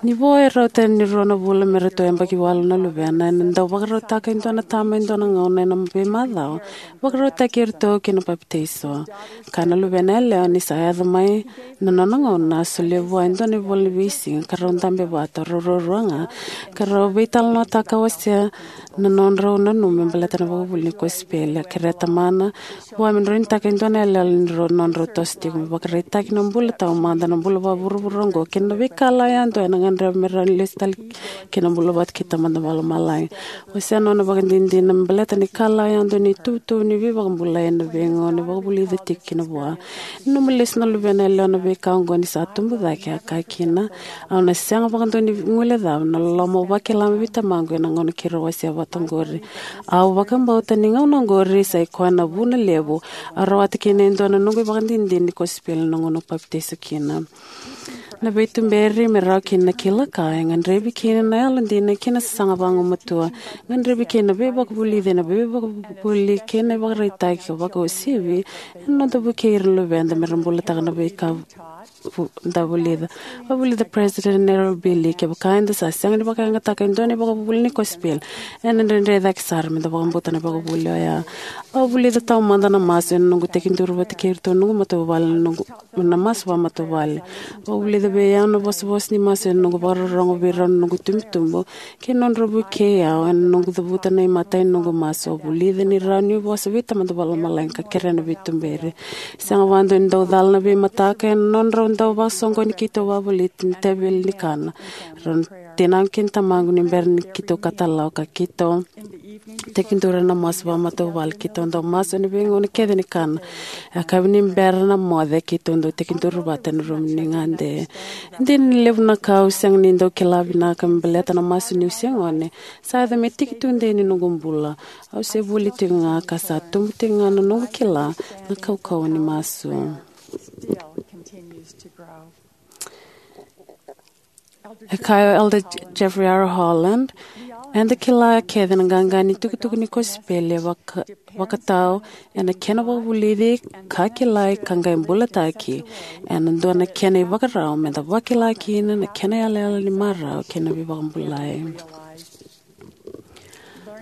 Ni vo e rauta ni rua na vula me ratou yabaki walu na luvena, ena dau vakarautaka e dua na tama e dua na gauna ena veimacawa, vakarautaki iratou ki na papitaiso. Kaya na luvena yalewa ni sa yaco mai na nona gauna, a solia vua e dua na ivola ni veisiga ka rau dabe vata, rau ruarua ga, ka rau veitalanoataka wasea na nodrau nanuma me baleta na ivakavuvuli ni kosipeli. A kerea tamana vua me droinitaka e dua na yaloyalo ni rau nodrau toso tiko me vakaraitaki na bula taumada, na bula vakavuravura oqo kei na veikalawa yadua ena gadreva me rawa ni lesu tale ki na bula vata kei Tamada Vakalomalagi. Wasea na nona ivakadinadina me baleta na ikalawa yadua ni ituvatuva ni veivakabulai ena veigauna e vakavulica tiko kina vua. Nanuma lesu na luvena yalewa na veika oqo ni sa tubu cake, a kaya kina, au na sega vakadua ni guilecava na loloma au vakila mai vei tamaqu ena gauna keirau wasea vata oqori. Au vakabauta ni gauna oqori sa ikoya na vuna levu au rawata kina e dua na noqu ivakadinadina ni kosipeli na gauna au papitaiso kina. Na veituberi me rawa kina na kila ka e gadrevi kina na yalodina kei na sasaga vagumatua. Gadrevi kina na veivakavulici, na veivakavuli kei na ivakaraitaki ka vakauasivi ena noda vukei ira na luveda mera bulataka na veika vu-, da vulica. A vulica President Errol B. Lee, kevaka eda sa sega ni vakayagataka e dua na ivakavuvuli ni kosipeli, ena dredre cake sara meda vakabauta na ivakavuvuli oya. Au vulica taumada na masu ena noqu tekiduru vata kei iratou na noqu matavuvale, na noqu, na masu vakamatavuvale. Au vulica vei au na vosavosa ni masu ena noqu vakarorogo vei rau na noqu itubutubu kei na nodra vukei au ena noqu cavuta na imatai ni noqu masu. Au vulica ni rawa niu vosa vei Tamada Vakalomalagi ka kerea na veituberi. Sega vakadua ni dau cala na veimataka ena nodrau dau vakasoqoni keitou vakavoliti na teveli ni kana. Rau na tinaqu kei na tamaqu ni bera ni keitou katalau ka keitou tekiduru ena masu vakamatavuvale. Keitou dau masu ena veigauna kece ni kana. E yakavi ni bera na moce keitou dau tekiduru vata ena rumu ni gade. E dina ni levu na ka au sega ni dau kila vinaka me baleta na masu niu se gone sa yaco me tiki tudei ni noqu bula. Au se vuli tiko ga ka sa tubu tiko ga na noqu kila na kaukauwa ni masu. E kaya o Elder Jeffrey R. Holland, eda kila kece na qaqa ni tukutuku ni kosipeli e vaka, vakatau ena kena vakavulici ka kilai ka qai bulataki ena dua na kena ivakarau meda vakila kina na kena yalayala ni marau kei na veivakabulai.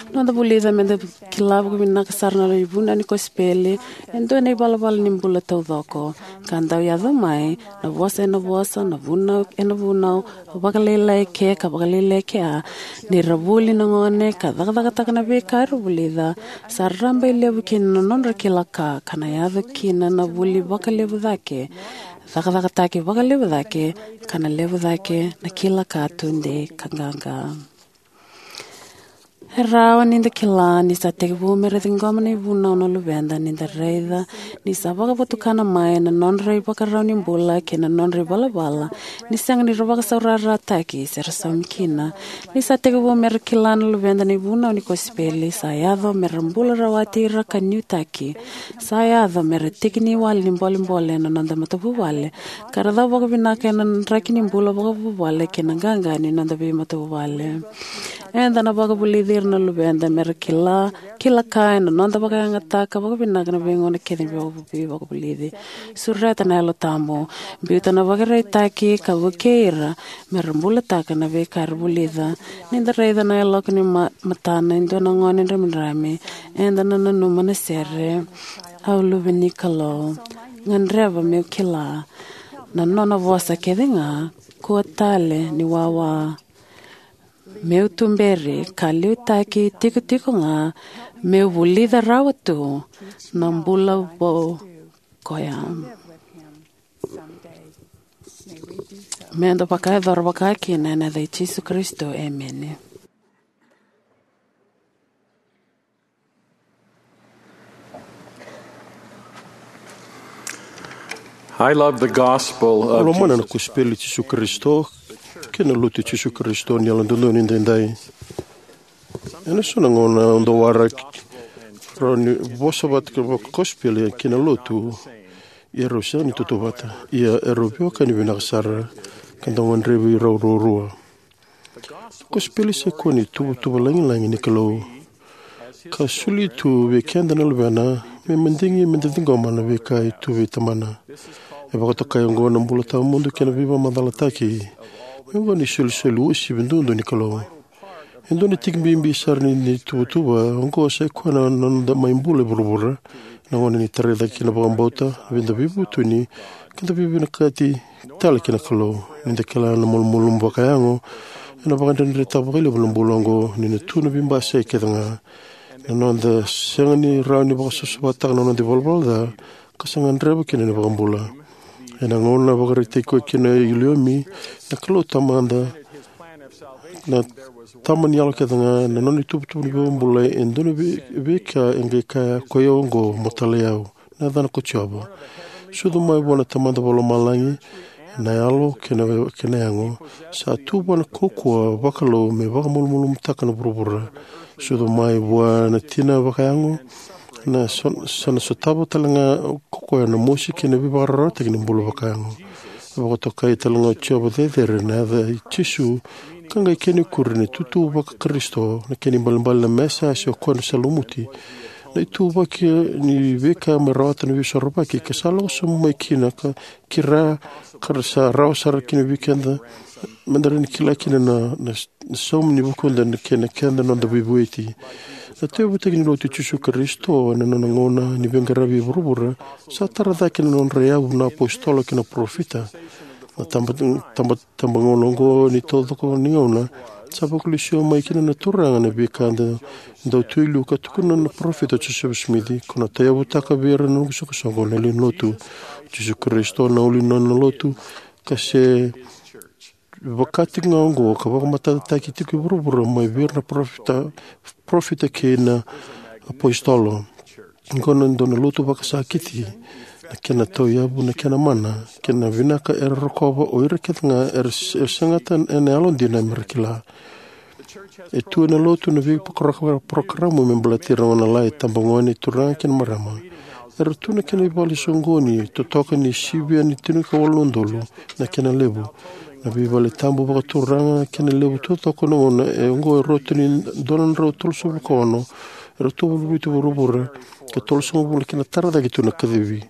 Noda vulica meda kila vakavinaka sara na ivunau ni kosipeli e dua na ivalavala ni bula taucoko, ka dau yaco mai na vosa ena vosa, na vunau ena vunau, vakalailai ke ka vakalailai kea, ni ra vuli na gone ka cakacakataka na veika era vulica, sa raba i levu kina na nodra kila ka, ka na yaco kina na vuli vakalevu cake, cakacakataki vakalevu cake, ka na levu cake na kila ka tudei ka qaqa. E rawa ni da kila ni sa tekivu me ra ciqoma na ivunau na luveda ni da raica ni sa vakavotukana mai na nodra ivakarau ni bula kei na nodra ivalavala ni sega ni ra vakasaurarataki se ra saumi kina. Ni sa tekivu me ra kila na luveda na ivunau ni kosipeli, sa yaco me ra bula rawati ira ka niutaki. Sa yaco me ra tiki ni wale ni bolebole na noda matavuvale, ka ra cau vakavinaka ena draki ni bula vakavuvale kei na qaqa ni noda veimatavuvale. Eda na vakavulici ira na luveda me ra kila, kila ka ena noda vakayagataka vakavinaka na veigauna kece ni vakavu-, veivakavulici. Sureta na Yalo Tabu, biuta na vakaraitaki ka vukei ira me ra bulataka na veika era vulica. Ni da raica na yaloka ni ma-, matana e dua na gone dramidrami, eda na nanuma na sere, Au luve ni Kalou, gadreva meu kila na nona vosa kece ga, kua tale ni wawa. Meu tuberi ka liutaki tikotiko ga, meu vulica rawa tu na bula vou koya. Meda vakayacora vaka kina ena yaca i Jisu Karisito, emeni. I love the gospel Au of lomana na Jesus. Kosipeli i Jisu Karisito kei na Lotu i Jisu Karisito ni Yalododonu Edaidai. Ena so na gauna au dau waraki rau ni vosa vata kei na kosipeli kei na Lotu, ia rau sega ni tautauvata. Ia erau veiwekani vinaka sara ka dau gadrevi rau ruarua. Na kosipeli sa ikoya na ituvatuva lagilagi ni Kalou, ka soli tu vei keda na Luvena me madigi meda ciqoma na veika e tu vei Tamana. E vakatokai oqo na bula tawamudu kei na veivakamacalataki. Me oqo na isolisoli uasivi duadua ni Kalou. E dua na tiki bibi sara ni, ni ituvatuva oqo sa ikoya na, na noda mai bula e vuravura. Na gauna ni tarai cake kina vakabauta, vei da veivutuni, ka da veivinakati tale kina Kalou. Ni da kila na malumalumu vakayago, ena vakadredretaka vakalevu na bula oqo, ni na tu na veibasai kece ga. Na noda sega ni rawa ni vakasavasavataka na noda ivalavala ca, ka sa gadreva kina na iVakabula. Ena gauna vakaraitaki koya kina o Iliumi, na Kalou Tamada, na Tama ni yalo kece ga, na nona ituvatuva ni veivakabulai, e dua na vei-, veika e qai kaya, "Koi au oqo, mo talai au." Na yacana ko Jiova. Sucu mai vua na Tamada Vakalomalagi, na yalo kei na, kei na yago, sa tu vua na kaukauwa vakalou me vakamalumalumutaka na vuravura. Sucu mai vua na tina vakayago, na so-, sa na sotava tale ga ko koya na mosi kei na veivakararawataki ni bula vakayago. Vakatokai tale ga o Jiova cecere na yaca i Jisu, ka qai kena ikuri na itutu vakaKarisito, na kena ibalebale na Mesaia se o koya na sa lumuti. Na ituvaki ni veika me rawata na Veisorovaki, ka sa lako sobu mai kina ka kira, ka ra sa rawa sara kina vei keda, meda rawa ni kila kina na, na, na saumi ni vukuda na kena, keda noda veivueti. Na tauyavutaki ni Lotu i Jisu Karisito ena nona gauna ni veiqaravi e vuravura, sa tara cake na nodra yavu na apositolo kei na parofita. Na taba, taba, tabagauna oqo ni taucoko ni gauna, sa vakalesui mai kina na Turaga na veika da dau tu e liu ka tukuna na parofita o Josefa Simici, ko na tauyavutaka vei ira na noqu soqosoqo na lewe ni Lotu. Jisu Karisito na ulu ni nona Lotu, ka se vaka tiko ga oqo ka vakamatatataki tiko e vuravura mai vei ira na parofita, parofita kei na apositolo. Oqo na dua na lotu vakasakiti, na kena tauyavu, na kena mana, kei na vinaka era rokova o ira kece ga era se-, era segata ena yalodina me ra kila. E tu ena lotu na veiporoka-, porokaramu me baleti ira na gone lalai, tabagone, turaga kei na marama. Era tu na kena ivale soqoni, totoka ni sivia ni tinikawalu na udolu na kena levu. Na veivale tabu vakaturaga kei na levu taucoko na gauna e oqo e rauta ni dua na drau tolusagavulu ka ono e rauta vuluvuti vuravura, ka tolusagavulu kei na tara cake tu na kacivi.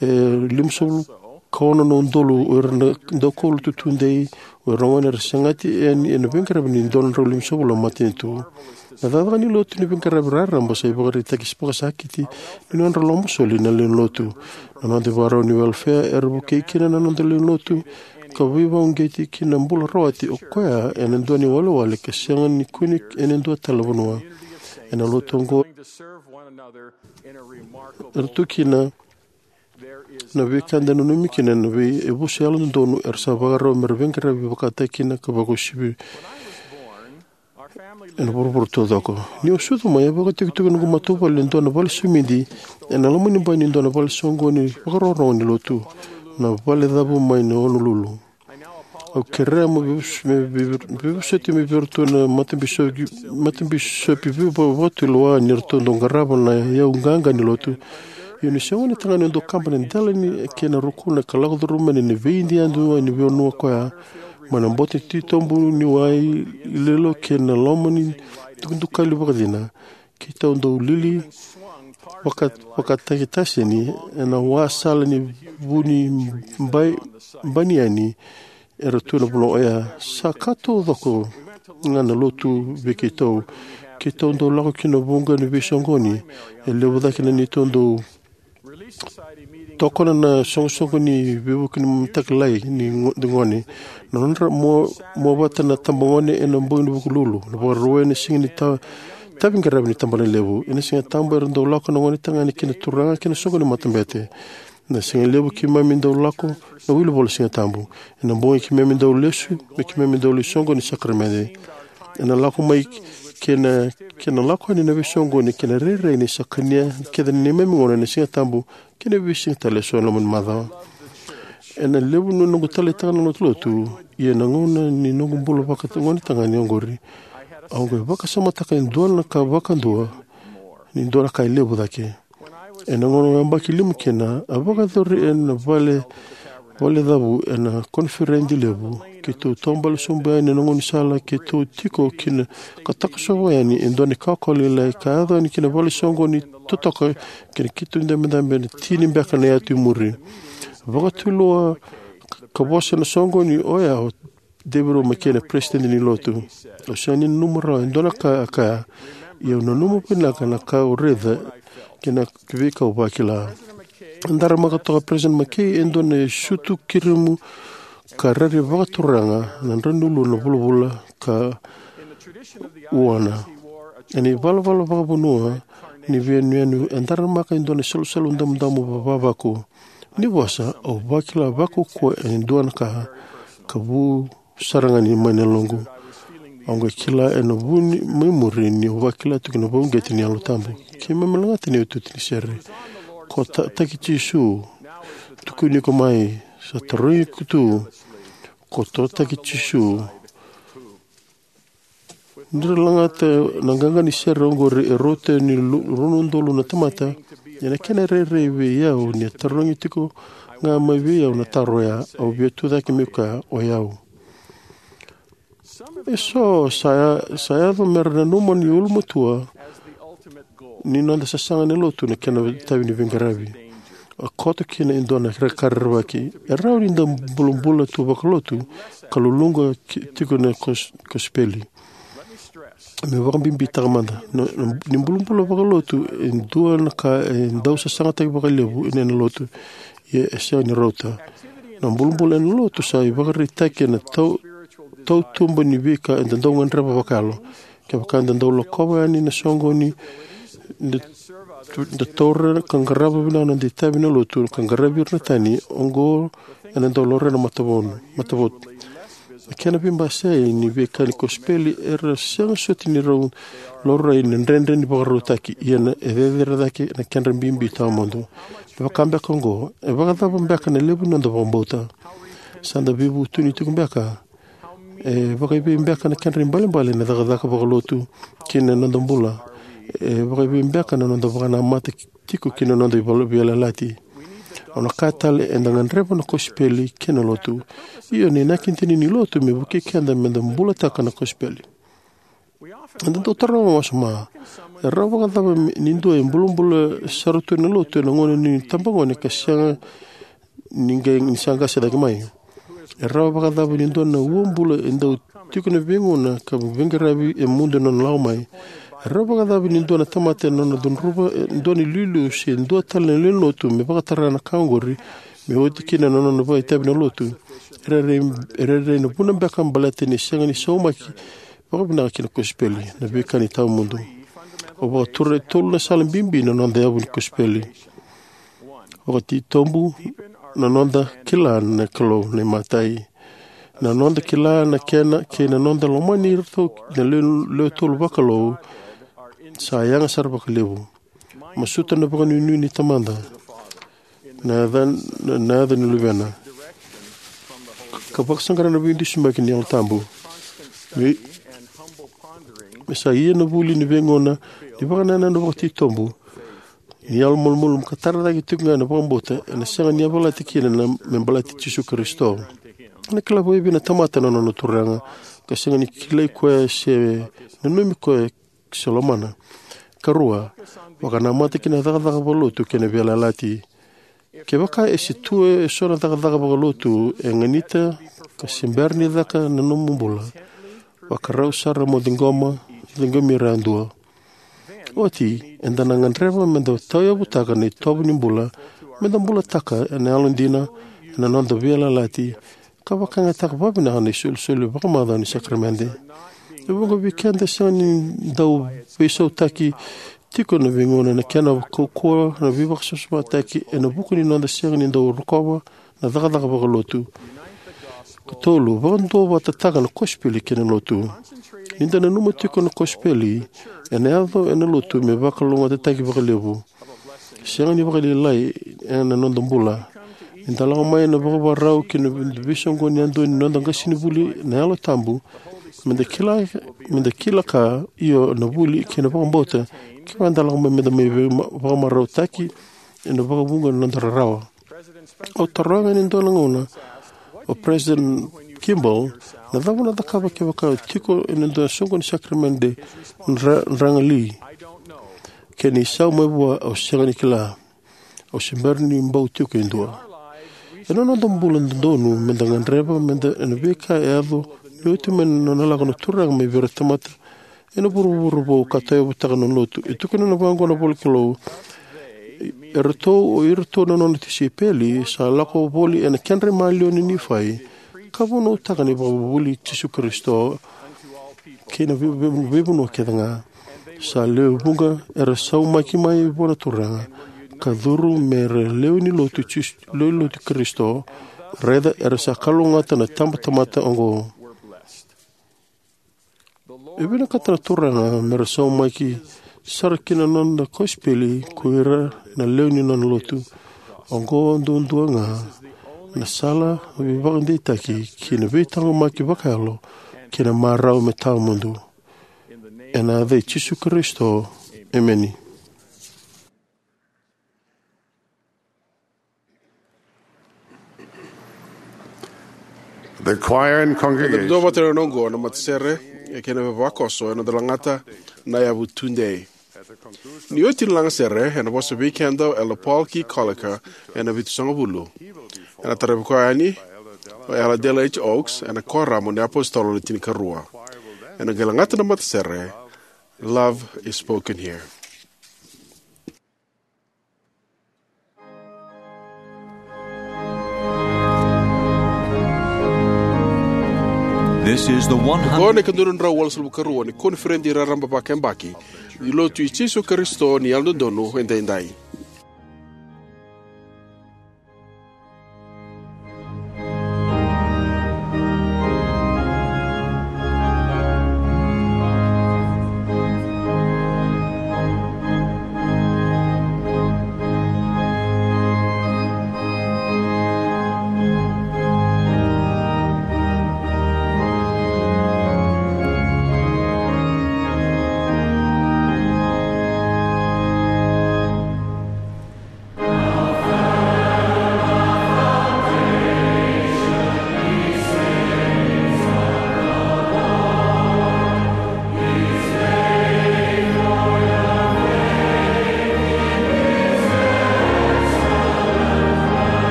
E limasagavulu ka ono na udolu o ira na daukaulotu tudei, o ira gone era segati yani ena veiqaravi ni dua na drau limasagavulu na matanitu. Na cakacaka ni lotu ni veiqaravi raraba sa ivakaraitaki vakasakiti ni nodra loma soli na lewe ni lotu. Na noda ivakarau ni welfare era vukei kina na noda lewe ni lotu ka veivakauqeti ki na bula rawati o koya ena dua na iwalewale ka sega ni kune ena dua tale na vanua. Ena lotu oqo era tu kina na veika eda nanumi kina na veiyavusa yalododonu era sa vakarau mera veiqaravi vakataki kina ka vakauasivi ena vuravura taucoko. Niu sucu mai, a vakaitikotiko na noqu matavuvale e dua na vale simidi ena loma ni bai ni dua na vale soqoni vakarorogo ni lotu, na Valecavu mai na Honolulu. Au kerea mo veivuso- me veivu- veivosoti me vei iratou na matabisopi, matabisopi veivakatulewa ni ratou dau qarava na iyau qaqa ni lotu. Ia niu se gone tagane, au dau kaba na dela ni kena rukuna ka lako curuma yani na veidai yadua ni vanua koya, mai na boto titobu ni wai lilo kei na loma ni dukadukali vakacina. Keitou dau lili vaka- vakataki taseni ena wasala ni vu ni bai- bani yani era tu na vanua oya. Sa ka taucoko ga na lotu vei keitou. Keitou dau lako ki na vuqa ni veisoqoni e levu cake na neitou dau tokona na soqosoqo ni veivuke ni mataka lailai ni go- ni gone. Na nodra mua- mua vata na tabagone ena bogi ni Vukelulu, na Vakarauwai ena siga ni ta- tavi qaravi ni tabanalevu. Ena Siga Tabu era dau lako na gone tagane kei na turaga ki na soqo ni matabete. Na siga levu keimami dau lako na wilivola Siga Tabu. Ena bogi keimami dau lesu me keimami dau lai soqoni ni sakaramede. Ena lako mai kei na- kei na lako yani na veisoqoni kei na rairai ni sa kania kece na neimami gauna ena Siga Tabu kei na veisiga tale eso ena loma ni macawa. Ena levu ni noqu taleitaka na lotulotu, ia na gauna ni noqu bula vaka- gone tagane oqori, au qai vakasamataka e dua na ka vakadua ni dua na ka e levu cake. Ena gauna au yabaki lima kina, a vakayacori ena vale- Valecavu ena koniferedi levu. Keitou taubale sobu yani ena gaunisala keitou tiko kina ka takosova yani e dua na ikawakawa lailai ka yaco yani ki na vale soqoni totoka kei na keitou dabedabe ena tini beka na yatu i muri. Vakatulewa ka vosa ena soqoni oya o David O. McKay, na peresitedi ni lotu. Au sega ni nanuma rawa e dua na ka a kaya, ia au nanuma vinaka na ka au raica kei na veika au vakila. A daramaka toka o Peresitedi McKay e dua na sutu kirimu ka rairai vakaturaga na drau ni uluna vulavula ka uana. Ena ivalavala vakavanua ni veiyanuyanu, a daramaka e dua na salusalu damudamu vavaku. Ni vosa, au vakila vakaukauwa e dua na ka ka vu sara ga ni mai na yaloqu. Au qai kila ena vu ni mai muri niu vakila tiko na veivakauqeti ni Yalo Tabu. Keimami lagata na iotioti ni sere. Ko ta- taki Jisu, tukuni iko mai, sa tarogi iko tu, ko totaki Jisu. Ni ra lagata na qaqa ni sere oqori e rauta ni lu- rua na udolu na tamata, ena kena rairai vei au ni a tarogi tiko ga mai vei au na taro oya, au via tucake meu kaya, o yau. Eso sa ya- sa yaco mera nanuma ni ulumatua ni noda sasaga ena lotu na kena itavi ni veiqaravi. A koto kina e dua na ka rerevaki. E rawa ni da bulabula tu vakalotu ka luluqa ki- tiko na kos- kosipeli. Me vakabibitaka mada, na- na- ni bulabula vakalotu e dua na ka e dau sasagataki vakalevu ena lotu, ia e sega ni rauta. Na bulabula ena lotu sa ivakaraitaki ena tau- tautuba ni veika eda dau gadreva vakayalo. Kevaka eda dau lakova yani na soqoni, da- da taura ka qarava vinaka na noda itavi ena lotu ka qaravi ira na tani, oqo ena dau laurai na matavonu- matavotu. Na kena veibasai ni veika ni kosipeli era sega soti ni rau laurai na dredre ni vakarautaki, ia na- e cecere cake na kedra bibi tawamudu. E vaka beka oqo, e vakacava beka na levu ni noda vakabauta? Sa da veivutuni tiko beka? E vakaevei beka na kedra ibalebale na cakacaka vakalotu kei na noda bula? E vakaevei beka na noda vakanamata tiko kei na noda ivala- veiyalayalati? Au na kaya tale, eda gadreva na kosipeli kei na lotu. Io, na inaki dina ni lotu me vukei keda meda bulataka na kosipeli. Eda dau taroga wasoma, e rawa vakacava ni dua e bulabula sara tu ena lotu ena gauna ni tabagone ka sega ni qai ni sa qase cake mai? E rawa vakacava ni dua na uabula e dau tiko na veigauna ka veiqaravi e mudu na nona lako mai? E rawa vakacava ni dua na tamata e nona cudruva e dua na iliuliu se dua tale na lewe ni lotu me vakatara na ka oqori me oti kina na nona vakaitavi na lotu? E rairai, e rairai na vuna beka baleta ni sega ni saumaki vakavinaka ki na kosipeli, na veika ni tawamudu. Au vakatura e tolu na sala bibi na noda yavu ni kosipeli. Vakatitobu na noda kila na Kalou na imatai. Na noda kila na kena kei na noda lomani iratou na lewe, lewe tolu vakalou sa yaga sara vakalevu. Masuta na vakanuinui ni Tamada na yaca, na, na yaca ni Luvena, ka vakasaqara na veidusimaki ni Yalo Tabu. Me, me sa ia na vuli ni veigauna ni vakanananu vakatitobu ni yalo malumalumu ka tara cake tiko ga na vakabauta, ena sega ni yavalati kina na me baleti Jisu Karisito. Ena kila vakaevei na tamata na nona turaga ka sega ni kilai koya se nanumi koya se lomana? Karua, vakanamata ki na cakacaka vakalotu kei na veiyalayalati. Kevaka e se tu eso na cakacaka vakalotu e ganita ka se bera ni caka na nomu bula, vakarau sara mo ciqoma, ciqomi ira yadua. Oti, eda na gadreva meda tauyavutaka na itovo ni bula, meda bulataka ena yalodina, ena noda veiyalayalati, ka vakayagataka vakavinaka na isolisoli vakamacawa ni sakaramede. E vuqa vei keda e sega ni dau veisautaki tiko na veigauna na kena kaukauwa na veivakasavasavataki ena vuku ni noda sega ni dau rokova na cakacaka vakalotu. Katolu, vakaduavatataka na kosipeli kei na lotu. Ni da nanuma tiko na kosipeli, ena yaco ena lotu me vakalougatataki vakalevu. Sega ni vakalailai ena noda bula. Ni da lako mai na vakavakarau ki na veisoqoni yadua ni noda qasenivuli na Yalo Tabu, meda kila, meda kila ka io na vuli kei na vakabauta, kevaka da lako mai meda mai vei-, vakamarautaki ena vakavuqa na noda rarawa. Au taroga ena dua na gauna o President Kimball, na cava na cakava kevaka au tiko ena dua na soqoni sakaramede dra-, dragali? Kena isau mai vua, au sega ni kila. Au se bera ni bau tiko e dua. Ena noda bula dodonu, meda gadreva, meda ena veika e yaco ni oti mai na nona lako na Turaga mai vei ira tamata ena vuravura vou ka tauyavutaka na lotu. E tukuna na vaqo na ivolanikalou, eratou o iratou na nona tisaipeli sa lako voli ena kedra maliwa na Nifai, ka vunautaka na ivakavuvuli i Jisu Karisito kei na vei-, vei-, veivanua kece ga. Sa lewe vuqa era saumaki mai vua na Turaga ka curu me ra lewe ni lotu Jis-, lewe ni lotu Karisito, raica era sa kalougata na tabatamata oqo. E vinakata na Turaga me ra saumaki sara ki na nona kosipeli ko ira na lewe ni nona lotu. Oqo duadua ga na sala veivakadeitaki ki na veitaqomaki vakayalo kei na marau me tawamudu. Ena yaca i Jisu Karisito, emeni. The choir and congregation. Eda dua vata ena oqo na matasere, e kena vavakoso, ena noda lagata na yavu tudei. Ni oti na lagasere, ena vosa vei keda o Elder Paul K. Collier ena Vitusagavulu. Ena taravi koya yani o Elder Dale H. Oaks ena Kuoramu ni iApositolo Le Tinikarua. Ena qai lagata na matasere, Love is Spoken Here. This is the one hundred. Oqo na ikadua na drau walusagavulu karua ni koniferedi raraba vakayabaki ni Lotu i Jisu Karisito ni Yalododonu Edaidai.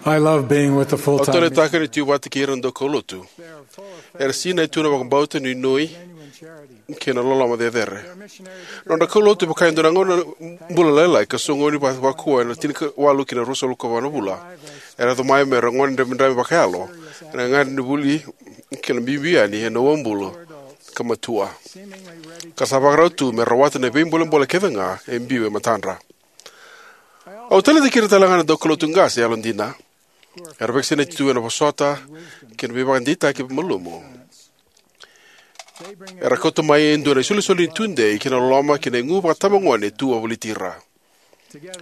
I love being with the full-time. Au taleitaka ni tu vata kei ira na daukaulotu. Era sinai tu na vakabauta, nuinui kei na loloma cecere. Nodra kaulotu e vaka e dua na gauna bula lailai ka soqoni va- vakua ena tinikawalu ki na ruasagavulu ka va na vula. Era yaco mai me ra gone dramidrami vakayalo ena gagadre ni vuli kei na biubiu yani ena uabula ka matua, ka sa vakarau tu me rawata na veibolebole kece ga e biu e matadra. Au taleitaki ira tale ga na daukaulotu qase yalodina era vakasinaiti tu ena vosota kei na veivakadeitaki malumu. Era kauta mai e dua na isolisoli ni tudei kei na loloma kei na igu vakatabagone e tu wavoliti ira.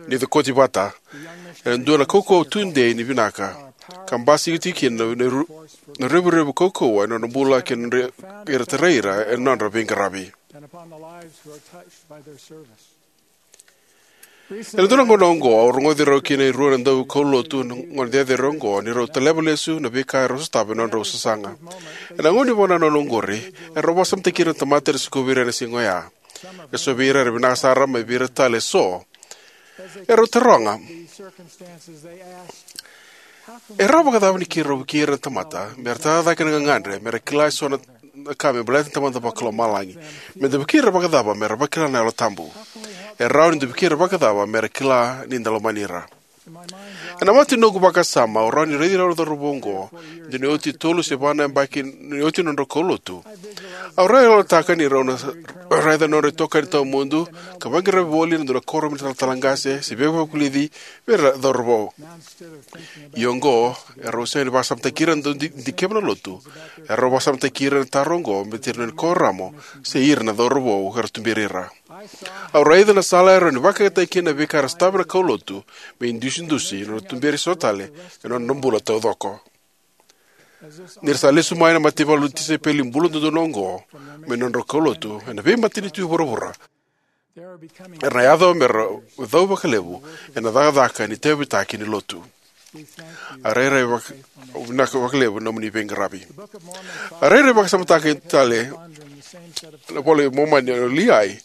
Ni cokoti vata, era dua na kaukauwa tudei ni vinaka ka basika tiko kina na, na ru- na revurevu kaukauwa ena nodra bula kei na nodra, era tarai ira ena nodra veiqaravi. Ena dua na gauna oqo au rogoci rau kina e rua na daukaulotu na gone cecere oqo ni rau taleva lesu na veika erau sotava ena nodrau sasaga. Ena gauna ni vakanananu oqori, erau vakasamataki ira na tamata era sikovi ira ena siga oya. E so vei ira era vinaka sara mai vei ira tale e so. Erau taroga, e rawa vakacava ni keirau vukei ira na tamata me ra tara cake na gagadre me ra kila e so na, na ka me baleta na Tamada Vakalomalagi? Me da vukei ira vakacava me ra vakila na Yalo Tabu? E rawa ni da vukei ira vakacava me ra kila ni da lomani ira? Ena mata ni noqu vakasama, au rawa ni raici rau na cauravou oqo, dina ni oti tolu se va na yabaki ni oti na nodrau kaulotu. Au rawa ni yalataka ni rau na raica na nodra itokani tawamudu ka vaqaravi voli ena dua na kuoramu ni talatala qase se veivakavulici vei ira na cauravou. Ia oqo, erau sega ni vakasamataki ira na dau di- dikeva na lotu. Erau vakasamataki ira na taro oqo me tira na kuoramu se ira na cauravou era tuberi ira. Au raica na sala e rawa ni vakayagataki kina na veika era sotava na kaulotu me idusidusi na nodra tuberi so tale ena nodra bula taucoko. Ni ra sa lesu mai na mataivalu ni tisaipeli bula dodonu oqo mai na nodrau kaulotu ena veimatanitu e vuravura, era na yaco me ra cau vakalevu ena cakacaka ni tauyavutaki ni lotu. A rairai vaka- vinaka vakalevu na nomuni veiqaravi. A rairai vakasamataka tale na iVola i Momani o Liai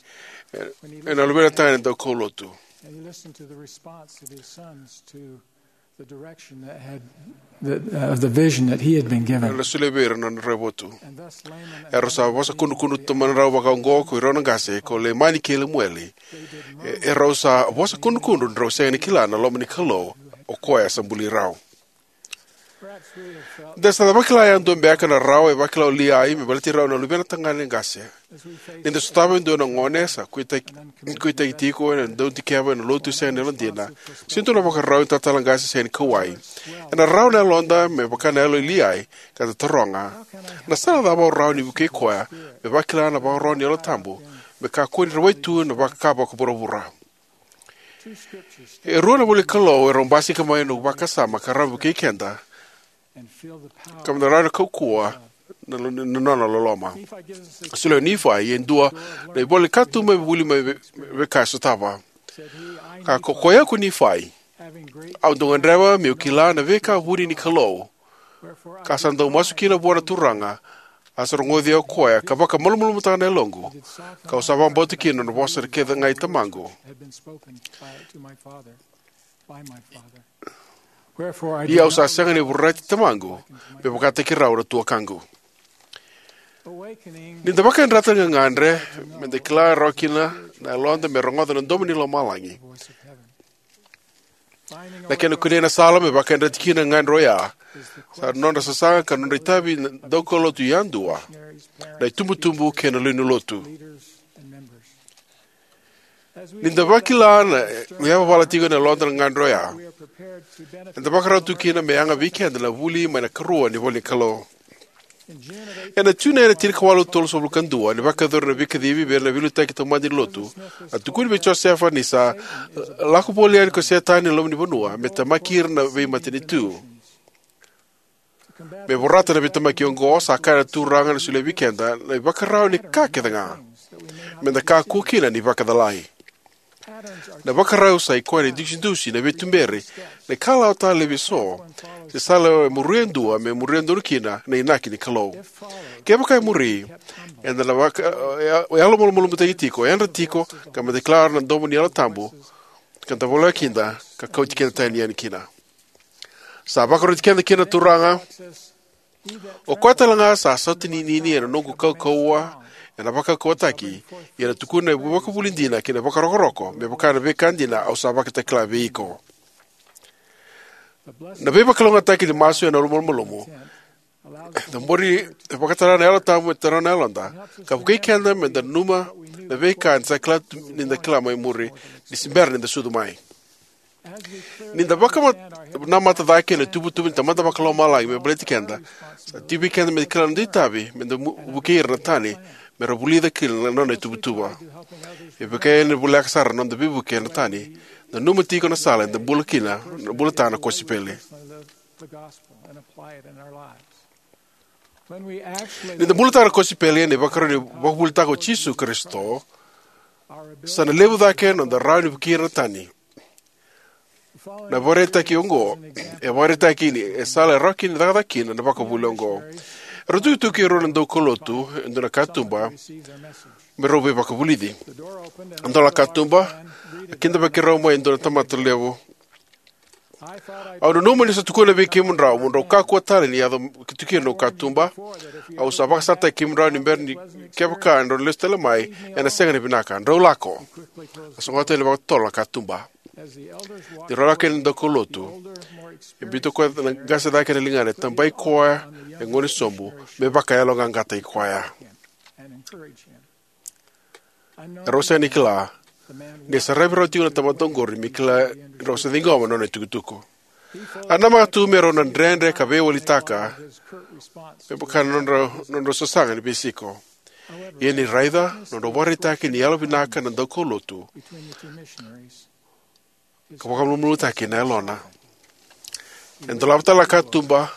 ena luvena tagane daukaulotu. And he listened to the response of his sons to the direction that had, that, uh, of the vision that he had been given. Era solia vei ira na nodra votu. And thus Laman and Era sa vosa kudrukudru tu mai rau vaka oqo ko irau na qase, ko Leimani kei Lemueli. E- Erau sa vosa kudrukudru ni rau sega ni kila na loma ni Kalou, o koya sa buli rau. perhaps we have felt Da sa vakila yadua beka na rawa e vakila o Liai me baleti rau na luvena tagane qase. Ni da sotava e dua na gone sa kuitaki, kuitaki tiko ena dau dikeva ena lotu sega ni yalodina, se dua na vakarau ni talatala qase sega ni kauwai, ena rawa na yaloda me vaka na yalo i Liai, ka da taroga, na sala cava au rawa ni vukei koya me vakila na vakarau ni Yalo Tabu me kakua ni rawai tu na vaka vakavuravura? E rua na ivola ni Kalou erau basika mai na noqu vakasama ka rawa ni vukei keda ka me da rawa ni kaukauwa na, na nona loloma. Solia o Nifai e dua na ivola ni katuba me vuli mai vei, vei ka e sotava. Ka ko koya ko Nifai, au dau gadreva meu kila na veika vuni ni Kalou, ka sa dau masu kina vua na Turaga, a sa rogoci au o koya ka vakamalumalumutaka na yaloqu, kau sa vakabauta kina na vosa kece ga i tamaqu. had been spoken by, to my father, by my father. Wherefore I Ia au did sa not sega ni vorati tamaqu me vakataki rau na tuakaqu. awakening Ni da vakayadrata na gagadre, me da kila rawa kina na yaloda me rogoca na domo ni lomalagi. voice of heaven. Na kena kunei na sala me vakayadrati kina na gagadre oya, sa nodra sasaga ka nodra itavi na daukaulotu yadua, na itubutubu kei na lewe ni lotu. Leaders and members. As we Ni da vakila na yavavala tiko na yaloda na gagadre oya, eda vakarau tu kina me yaga vei keda na vuli mai na ikarua ni ivola ni Kalou. Ena June ena tinikawalu tolusagavulu ka dua, ni vakayacori na veikacivi vei ira na veiliutaki taumada ni lotu, a tukuni vei Josefa ni sa lako voli yani ko Setani ena loma ni vanua me temaki ira na veimatanitu. Me vorata na veitemaki oqo, sa kaya na Turaga ni solia vei keda na ivakarau ni ka kece ga me da kakua kina ni vakacalai. Na ivakarau sa i koya na idusidusi, na veituberi, na ikalawa talevi eso, se sala e muri e dua me muria donu kina na inaki ni Kalou. Kevaka e muri, eda na vaka, e, e yalomalumalumutaki tiko, yadra tiko, ka me da kila na domo ni Yalo Tabu, ka da voleka kina, ka kauti keda tani yani kina. Sa vakaroti keda kina na Turaga: O koya talega sa sautaninini ena noqu kaukauwa ena vakaukauwataki, ia ena tukuna na ivakavuvuli dina kei na vakarokoroko, me vaka na veika dina au sa vakatakila vei iko. Na veivakalougatataki ni masu ena yalomalumalumu, cabori, e vakatara na Yalo Tabu me taura na yaloda, ka vukei keda me da nanuma na veika eda sa kila tu ni da kila mai muri, ni se bera ni da sucu mai. Ni da vakanamata cake ena ituvatuva ni Tamada Vakalomalagi me baleti keda, sa tiko vei keda me da kila na noda itavi me da mu-, vukei ira na tani me ra vulica kina na nona ituvatuva. E vaka ni voleka sara na noda veivuke na tani, nanuma tiko na sala eda bula kina, na bulataka na kosipeli. Ni da bulataka na kosipeli ena ivakarau ni vakavuvulitaka o Jisu Karisito, sa na levu cake na noda rawa ni vukei ira na tani. Na ivakaraitaki oqo e vakaraitaka ni sala e rawa kina ni cakacaka kina na ivakavuvuli oqo. Erau tukituki e rua na daukaulotu e dua na katuba me rau veivakavulici. A dola na katuba, a kidavaki rau mai e dua na tamata levu. Au nanuma niu sa tukuna vei kemudrau mo drau kakua tale ni yaco ki tukuna na katuba. Au sa vakasalataki kemudrau ni bera ni, kevaka drau lesu tale mai, ena sega ni vinaka. Drau lako. A sogota yani vakatotolo na katuba. Ni rau lako yani na daukaulotu, e biuta o koya na qase cake ena ligana, e tabai koya e gone sobu me vakayaloqaqataki koya. Erau sega ni kila ni a saravi rau tiko na tamata oqori me kila ni rau sa ciqoma na nona itukutuku. A namaka tu me rau na dredre ka veiwalitaka me vaka na nodrau, nodrau sasaga ni veisiko. Ia ni raica na nodrau vakaraitaki ni yalovinaka na daukaulotu ka vakamalumalumutaki na yalona. E dolava tale na katuba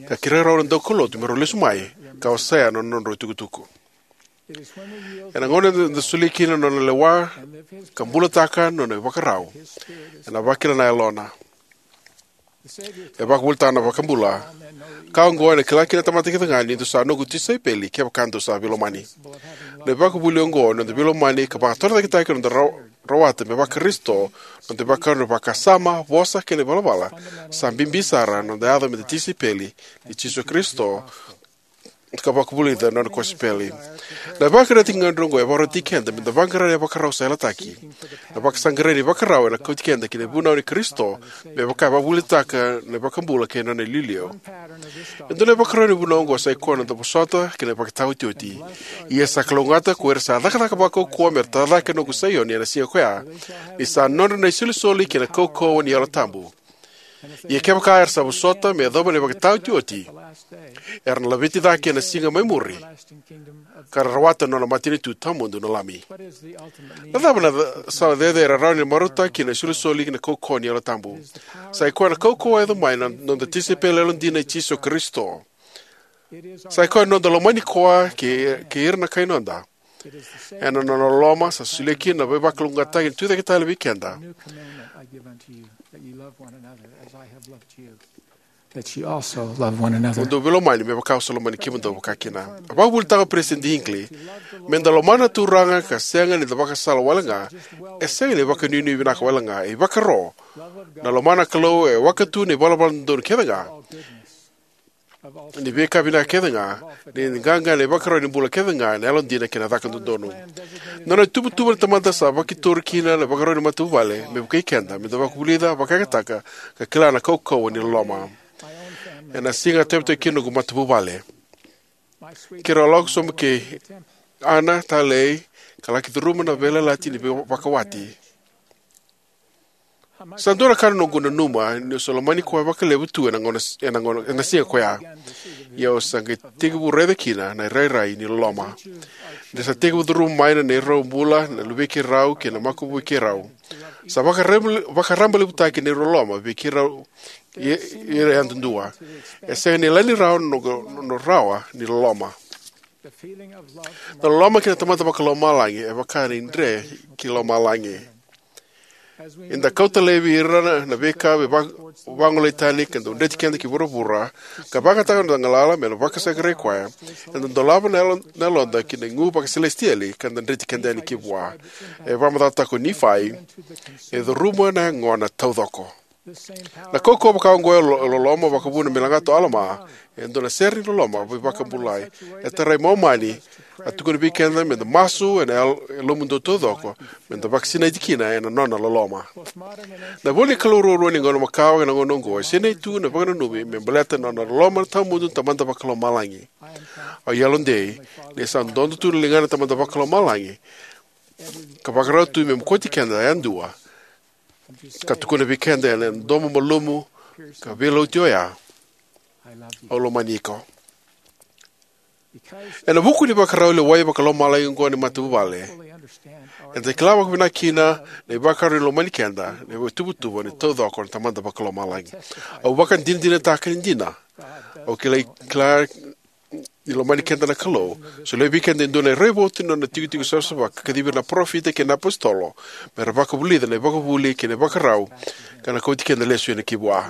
ka kerei rau na daukaulotu me rau lesu mai ka wasea na nodrau itukutuku. Ena gauna eda solia kina na nona lewa ka bulataka na nona ivakarau, ena vakila na yalona. E vakavuvulitaka na iVakabula: Ka oqo ena kila kina na tamata kecega ni dou sa noqu tisaipeli, kevaka dou sa veilomani. Na ivakavuvuli oqo ni noda veilomani ka vakatorocaketaki na noda ra-, rawata me vaka-Karisito, na noda ivakarau ni vakasama, vosa kei na ivalavala, sa bibi sara ena noda yaco me da tisaipeli i Jisu Karisito ka vakavulica na nona kosipeli. Na ivakaraitaki gagadre oqo e vakarautaki keda me da vaqara na ivakarau sa yalataki, na vakasaqarai ni ivakarau ena kauti keda ki na ivunau i Karisito, me vaka e vakavuvulitaka na iVakabula kei na nona iliuliu. E dua na ivakarau ni vunau oqo sa ikoya na noda vosota kei na ivakataotioti. Ia sa kalougata ko ira sa cakacaka vakaukauwa me ra tara cake na noqu Saioni ena siga ko ya, ni sa nodra na isolisoli kei na kaukauwa ni Yalo Tabu. Ia kevaka era sa vosota me yacova na ivakataotioti, era na laveti cake ena siga mai muri, ka ra rawata na nona matanitu tawamudu na Lami. Na cava na ca-, sala cecere e rawa ni marautaki kina na isolisoli kei na kaukauwa ni Yalo Tabu? Sa ikoya na kaukauwa e yaco mai na noda tisaipeli yalodina i Jisu Karisito. Sa ikoya na noda lomani koya kei, kei ira na kai noda. Ena nona loloma sa solia kina na veivakalougatataki ni tucake tale vei keda. That you also love one another. Mo dou veilomani me vaka au sa lomani kemudou vakakina. A vakavuvulitaka o Peresitedi Hinckley: Me da lomana na Turaga ka sega ni da vakasala wale ga, e sega ni vakanuinui vinaka wale ga, e ivakaro. Na lomana na Kalou e waka tu na ivalavala dodonu kece ga, ni veika vinaka kece ga, ni qaqa na ivakarau ni bula kece ga, na yalodina kei na caka dodonu. Na nona ituvatuva na Tamada sa vakitori kina na ivakarau ni matavuvale me vukei keda me da vakavulica, vakayagataka, ka kila na kaukauwa ni loloma. Ena siga a tevetovi kina noqu matavuvale, keirau a lako sobu kei Ana, talei, ka laki curuma na veiyalayalati ni vei-, vakawati. Sa dua na ka na noqu nanuma niu sa lomani koya vakalevu tu ena gauna, ena gauna, ena siga ko ya. Ia au sa qai tekivu raica kina na irairai ni loloma. Ni sa tekivu curuma mai na neirau bula na luvei keirau kei na makubui keirau, sa vakarab-, vakarabailevutaki na neirau loloma vei keirau, i-, ira yadudua. E sega ni yalani rawa na noqu, na rawa ni loloma. Na loloma kei na Tamada Vakalomalagi e vaka na idre ki lomalagi. Eda kauta laivi ira na, na veika vei va-, vagolei tani ka dau dreti keda ki vuravura, ka vakayagataka na noda galala me na vakasaqarai koya. Eda dolava na yalo-, na yaloda ki na igu vakaselesitieli ka da dreti keda yani ki vua. E vakamacalataka o Nifai, e curuma na yagona taucoko. Na kaukauwa vaka oqo e lo- loloma vakavuna me lagata o Alama, e dua na sere ni loloma veivakabulai. E tarai Momani, a tukuna vei keda me da masu ena yal- yalomudou taucoko, me da vakasinaiti kina ena nona loloma. Na ivola ni Kalou ruarua ni gauna makawa ena gauna oqo e sinai tu na vakananumi me baleta na nona loloma tawamudu na Tamada Vakalomalagi. Au yalodei ni sa dodo tu na ligana na Tamada Vakalomalagi ka vakarau tu me mokoti keda yadua, ka tukuna vei keda ena domo malumu ka veilauti oya, "Au lomani iko." Ena vuku ni vakarau lewai vakalomalagi oqo ni matavuvale, eda kila vakavinaka kina na ivakarau ni lomani keda na ituvatuva ni taucoko na Tamada Vakalomalagi. Au vakadinadinataka ni dina. Au kilai kila ni lomani keda na Kalou. Solia vei keda e dua na raivotu ni nona tikotiko savasava ka kacivi ira na parofita kei na apositolo me ra vakavulica na ivakavuvuli kei na ivakarau ka na kauti keda lesu yani ki vua.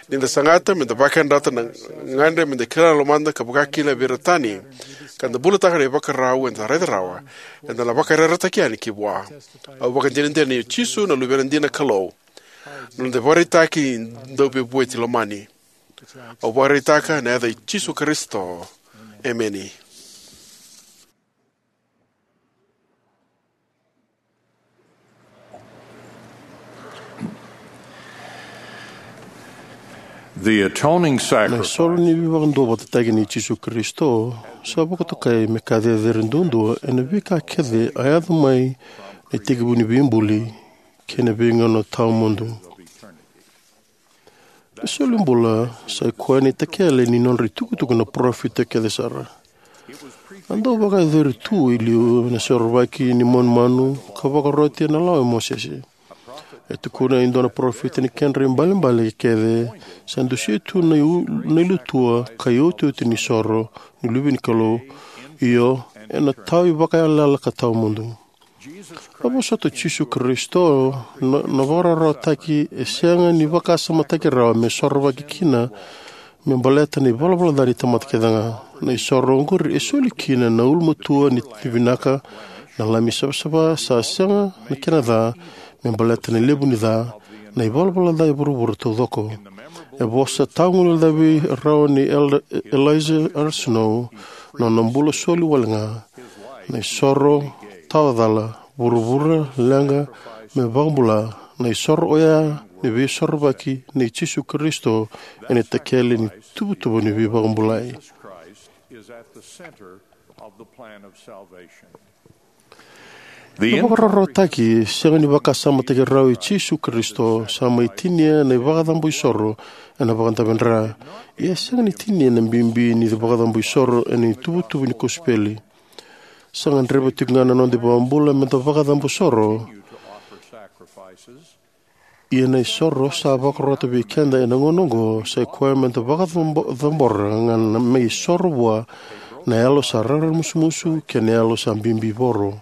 Ni da sagata me da vakayadrata na gadre me da kila na lomada ka vaka kina vei ira tani, ka da bulataka na ivakarau eda raica rawa, eda na vakayarayarataki yani ki vua. Au vakadinadina ni o Jisu na Luvena dina na Kalou, na noda ivakaraitaki ni Dauveivueti lomani. Au vakaraitaka ena yaca i Jisu Karisito. Emeni. The atoning Na sacrifice isoro ni veivakaduavatataki nei Jisu Karisito sa vakatokai me ka cecere duadua ena veika kece a yaco mai na itekivu ni veibuli kei na veigauna tawamudu. Na solibula sa i koya na itakele ni nodra itukutuku na parofita kece sara. A dau vakayacori tu e liu na sorovaki ni manumanu ka vakaroti ena lawa i Mosese. E tukuna e dua na parofita ni kedra ibalebale kece, sa dusia tu na iu- na ilutua ka iotioti ni soro ni Luve ni Kalou, io, ena tau ivakayalayala ka tawamudu. A vosota o Jisu Karisito na, na vakarawarawataki e sega ni vakasamataki rawa me sorovaki kina me baleta na ivalavala ca ni tamata kece ga. Na isoro oqori e soli kina na ulumatua ni vinaka, na lami savasava sa sega na kena ca, me baleta na levu ni ca, na ivalavala ca e vuravura taucoko. E vosa tawaguilecavi rawa nei Elder Eliza R. Snow, na nona bula soli wale ga, na isoro tawa cala, vuravura leqa me vakabula, na isoro oya ni veisorovaki nei Jisu Karisito ena itakele ni tuvatuva ni veivakabulai. Na vakararawataki sega ni vakasamataki rawa i Jisu Karisito sa mai tinia na ivakacabo isoro ena vakadave dra. Ia e sega ni tinia na bibi ni vakacabo isoro ena ituvatuva ni kosipeli. Sa gadreva tiko ga na noda ivakabula me da vakacabo soro. Ia na isoro sa vakarota vei keda ena gauna oqo sa i koya me da vakacabo- cabora ga na me isoro vua na yalo sa raramusumusu kei na yalo sa bibivoro.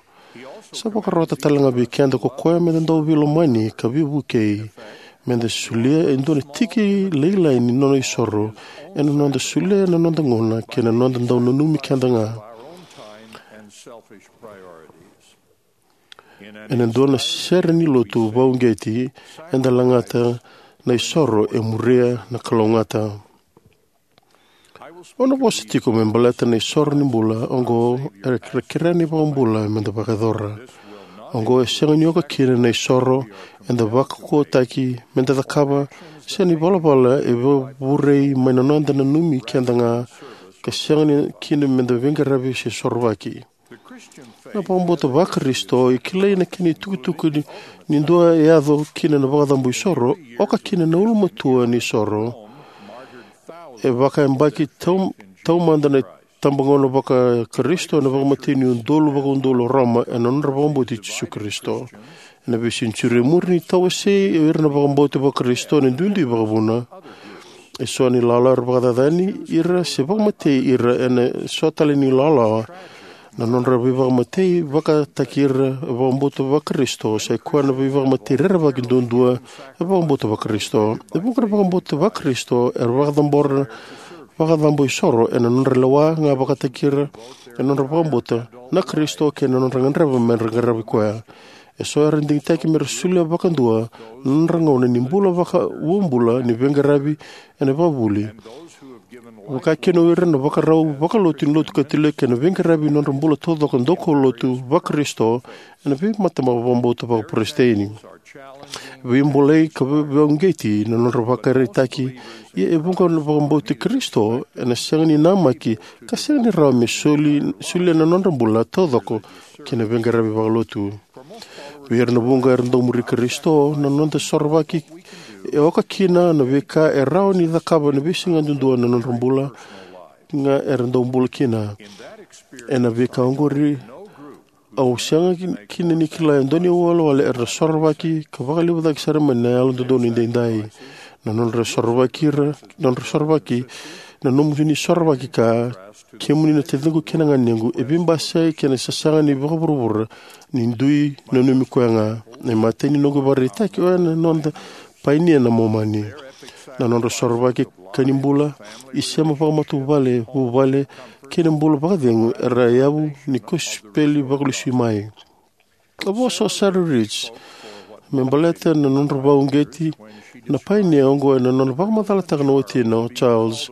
Sa vakarota tale ga vei keda ko koya me da dau veilomani ka veivukei, me da solia e dua na tiki lailai ni nona isoro ena noda solia na noda gauna kei na noda dau nanumi keda ga. Ena dua na sere ni lotu vakauqeti, eda lagata na isoro e muria na kalougata. Au na vosa tiko me baleta na isoro ni bula oqo era kerea na iVakabula me da vakayacora. Oqo e sega ni oka kina na isoro eda vakaukauwataki me da cakava, se na ivalavala e vakavurei mai na noda nanumi keda ga, ka sega ni kina me da veiqaravi se sorovaki. Na vakabauta vaKarisito e kilai na kena itukutuku ni, ni dua e yaco kina na vakacabo isoro, oka kina na ulumatua ni soro. E vakayabaki tau- taumada na itabagauna vaKarisito ena vakamatei ni udolu vakaudolu o Roma ena nodra vakabauti Jisu Karisito. Ena veisenitiuri e muri ni tawasei o ira na vakabauti vaKarisito ena duidui vakavuna. E so na ilawalawa era vakacacani ira se vakamatei ira ena so tale ni ilawalawa. Na nodra veivakamatei vakataki ira e vakabauta vaKarisito sa i koya na veivakamatei rerevaki duadua e vakabauta vaKarisito. E vuqa na vakabauta vaKarisito era vakacabora vakacabo isoro ena nodra lewa ga vakataki ira ena nodra vakabauta na Karisito kei na nodra gadreva me ra qarava koya. Eso era digitaki me ra solia vakadua na nodra gauna ni bula vakabobula ni veiqaravi ena vakavuvuli, vakakina o ira na vakarau vakalotu ni Lotu Katilika ena veiqaravi ni nodra bula taucoko daukaulotu Vakarisito ena veimatabete vakabauta vakaperesitedi. E veibolei ka veivakauqeti na nodra ivakaraitaki, ia e vuqa na vakabauti Karisito ena sega ni namaki ka sega ni rawa me soli, solia na nodra bula taucoko ki na veiqaravi vakalotu. Vei ira na vuqa era dau muri Karisito, na noda sorovaki e oka kina na veika e rawa ni cakava ena veisiga yadudua na nodra bula ga era dau bula kina. Ena veika oqori, au sega kina ni kila e dua na iwalewale era na sorovaki ka vakalevu cake sara mai na Yalododonu Edaidai. Na nodra sorovaki ira, nodra sorovaki, na nomuni sorovaki ka, kemuni na taciqu kei na ganequ, e veibasai kei na sasaga ni vakavuravura ni dui nanumi koya ga. Na imatai ni noqu ivakaraitaki oya na noda painia na Momani. Na nodra sorovaki ka ni bula, isema vakamatavuvale, vuvale, kei na bula vakacegu era yavu ni kosipeli vakalesui mai. A vosa o Sarah Rich me baleta na nodra vakauqeti na painia oqo ena nona vakamacalataka na watina o Charles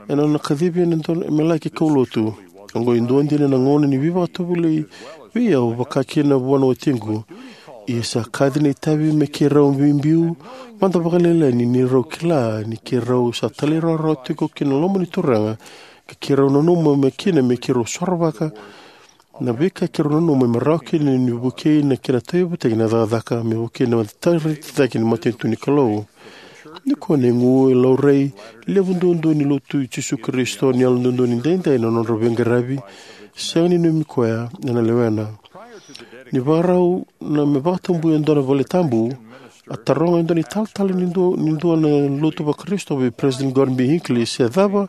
ena nona kacivi ena dua me laki kaulotu. Oqo e dua dina na gauna ni veivakatovolei vei au vakakina vua na watiqu. Ia sa kaci na itavi me keirau biubiu mada vakalailai ni neirau kila ni keirau sa talairawarawa tiko ki na loma ni Turaga, ka keirau nanuma me kina me keirau sorovaka na veika keirau nanuma me rawa kina ni vukei na kena tauyavutaki na cakacaka me vukei na itavi cake ni matanitu ni Kalou. Nikua na igu e laurai levu duadua ni Lotu i Jisu Karisito ni Yalododonu Edaidai na nodra veiqaravi, sega ni nanumi koya ena lewena. Ni vakarau na me vakatabui e dua na valetabu, a taroga e dua na italatala ni dua, ni dua na lotu Vakarisito vei President Gordon B. Hinckley se cava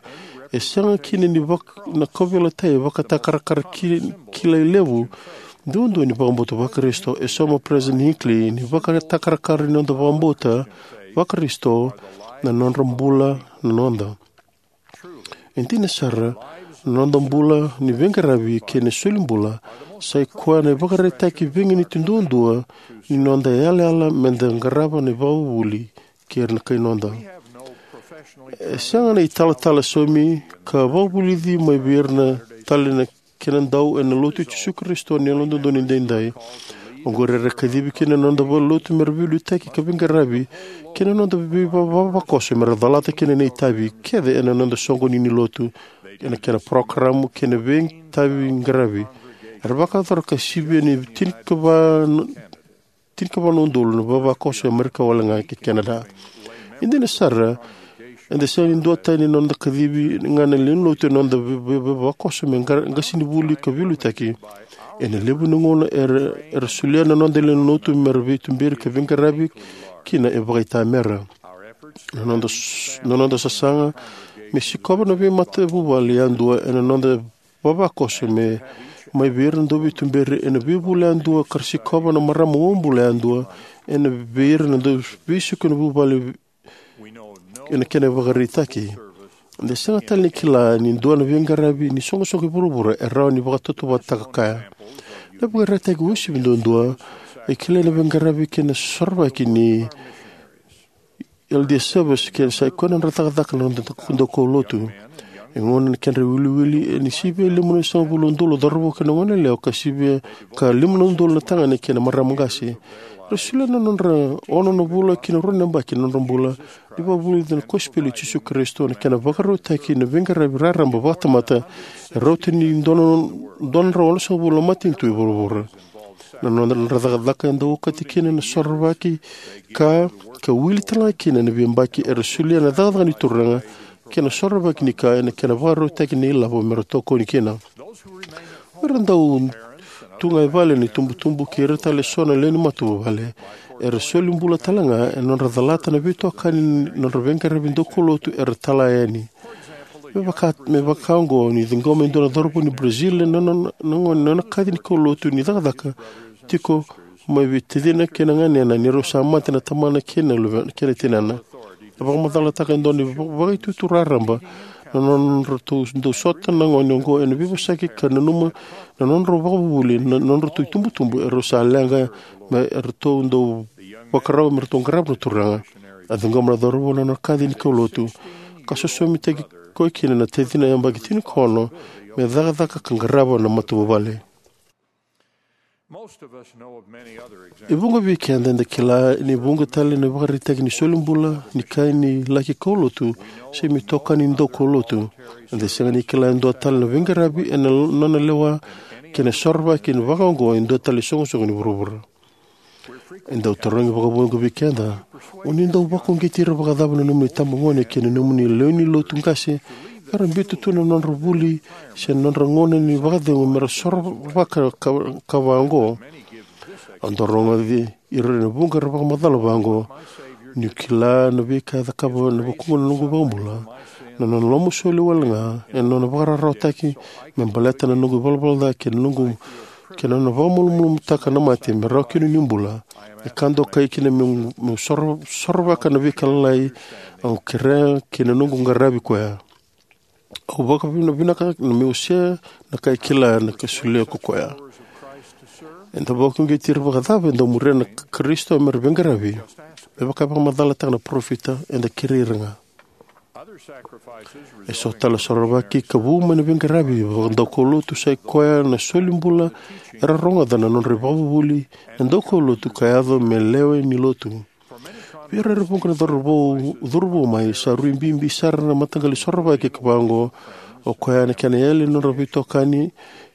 e sega kina ni vak-, na kauveilatai vakatakarakara ki-, kilai levu duadua ni vakabauta Vakarisito. E sauma President Hinckley ni vakatakarakara ni noda vakabauta Vakarisito na nodra bula na noda. E dina sara, na noda bula ni veiqaravi kei na solibula sa i koya na ivakaraitaki veiganiti duadua ni noda yalayala meda qarava na ivakavuvuli kei ira na kai noda. E sega na italatala saumi ka vakavulici mai vei ira na tale na kena dau ena Lotu i Jisu Karisito ni Yalododonu Edaidai. Oqori era kacivi kina na noda valenilotu mera veiliutaki ka veiqaravi kei na noda veivavakoso mera calata kina na itavi kece ena noda soqoni ni lotu, ena kena parokaramu kei na veitavi qaravi. Era vakayacora ka sivia ni tinikava tinikava na udolu na vavakoso e Amerika wale ga kei Canada. E dina sara, eda sega ni duatani na noda kacivi ga na lewe ni lotu ena noda vavakoso me qasenivuli ka veiliutaki. Ena levu ni gauna era, era solia na noda lewe ni lotu mera veituberi ka veiqaravi kina e vakaitamera. Na noda, na noda sasaga me sikova na veimatavuvale yadua ena noda vavakoso me mai vei ira na dauveituberi ena veivula yadua ka ra sikova na marama wabula yadua ena vei ira na dauveisuki na vuvale ena kena ivakaraitaki. Eda sega tale ni kila ni dua na veiqaravi ni soqosoqo i vuravura e rawa ni vakatautauvatataka kaya. Na ivakaraitaki uasivi duadua e kilai na veiqaravi kei na sorovaki ni L D S Service kei na sa i koya na nodra cakacaka na noda daukaulotu. E gauna na kedra iwiliwili e ni sivia lima na sagavulu na udolu na cauravou kei na goneyalewa ka sivia ka lima na udolu na tagane kei na marama qase. Era solia na nodra ono na vula ki na rua na yabaki na nodra bula ni vakavulici na kosipeli i Jisu Karisito, na kena vakarautaki na veiqaravi raraba vakatamata e rauta ni dua na, dua na drau ono sagavulu na matanitu e vuravura. Na nodra cakacaka e dau okati kina na sorovaki ka, ka wili talega kina na veiyabaki era solia na cakacaka ni Turaga kei na sorovaki ni ka ena kena vakarautaki na ilavo mera tokoni kina. O ira dau tu ga e vale na itubutubu kei ira tale eso na lewe ni matavuvale era soli bula talega ena nodra calata na veitokani ni nodra veiqaravi daukaulotu era tala yani. Me vaka, me vaka oqo, ni ciqoma e dua na cauravou ni Brazil na nona, na gone, na nona kaci ni kaulotu ni cakacaka tiko mai vei tacina kei na ganena ni rau sa mate na tamana kei na luvena kei na tinana. E vakamacalataka e dua na vaka, vakaitutu raraba na nodratou dau sota na gone oqo ena veivosaki ka nanuma na nodratou vakavuvuli, na nodratou itubutubu, erau sa leqa me ratou dau vakarau me ratou qarava na Turaga. A ciqoma na cauravou na nona kaci ni kaulotu ka sosomitaki koya kina na tacina yabaki tinikaono me cakacaka ka qarava na matavuvale. E vuqa vei keda eda kila ni vuqa tale na ivakaraitaki ni soli bula ni kai ni laki kaulotu se me itokani ni daukaulotu. Eda sega ni kila e dua tale na veiqaravi ena nona lewa kei na sorovaki vaka oqo e dua tale isoqosoqo ni vuravura. E dau tarogi vakavuqa vei keda, o ni dau vakauqeti ira vakacava na nomuni itabagone kei na nomuni lewe ni lotu qase era biuta tu na nodra vuli se na nodra gauna ni vakacegu mera sorovaka ka, ka vaqo? Au dau rogoci ira ena vuqa era vakamacala vaqo: Niu kila na veika e cakava ena vukuqu na noqu iVakabula, na nona lomasoli wale ga ena nona vakararawataki me baleta na noqu ivalavala ca kei na noqu, kei na nona vakamalumalumutaka na mate me rawa kina niu bula. E ka dokai kina meu, meu soro, sorovaka na veika lalai au kerea kei na noqu qaravi koya. Au vakavinavinaka na meu se na ka e kila na ka e solia ko koya. Eda vakauqeti ira vakacava e dau muria na Karisito mera veiqaravi? Me vaka e vakamacalataka na parofita, eda kerei ira ga. E so tale na sorovaki ka vu mai na veiqaravi vakadaukaulotu sai koya na soli bula era rogoca na nodra ivakavuvuli na daukaulotu ka yaco me lewe ni lotu. Vei ira era vuqa na cauravou curuvou mai, sa rui bibi sara na mataqali sorovaki ka vaqo, o koya na kena yali na nodra veitokani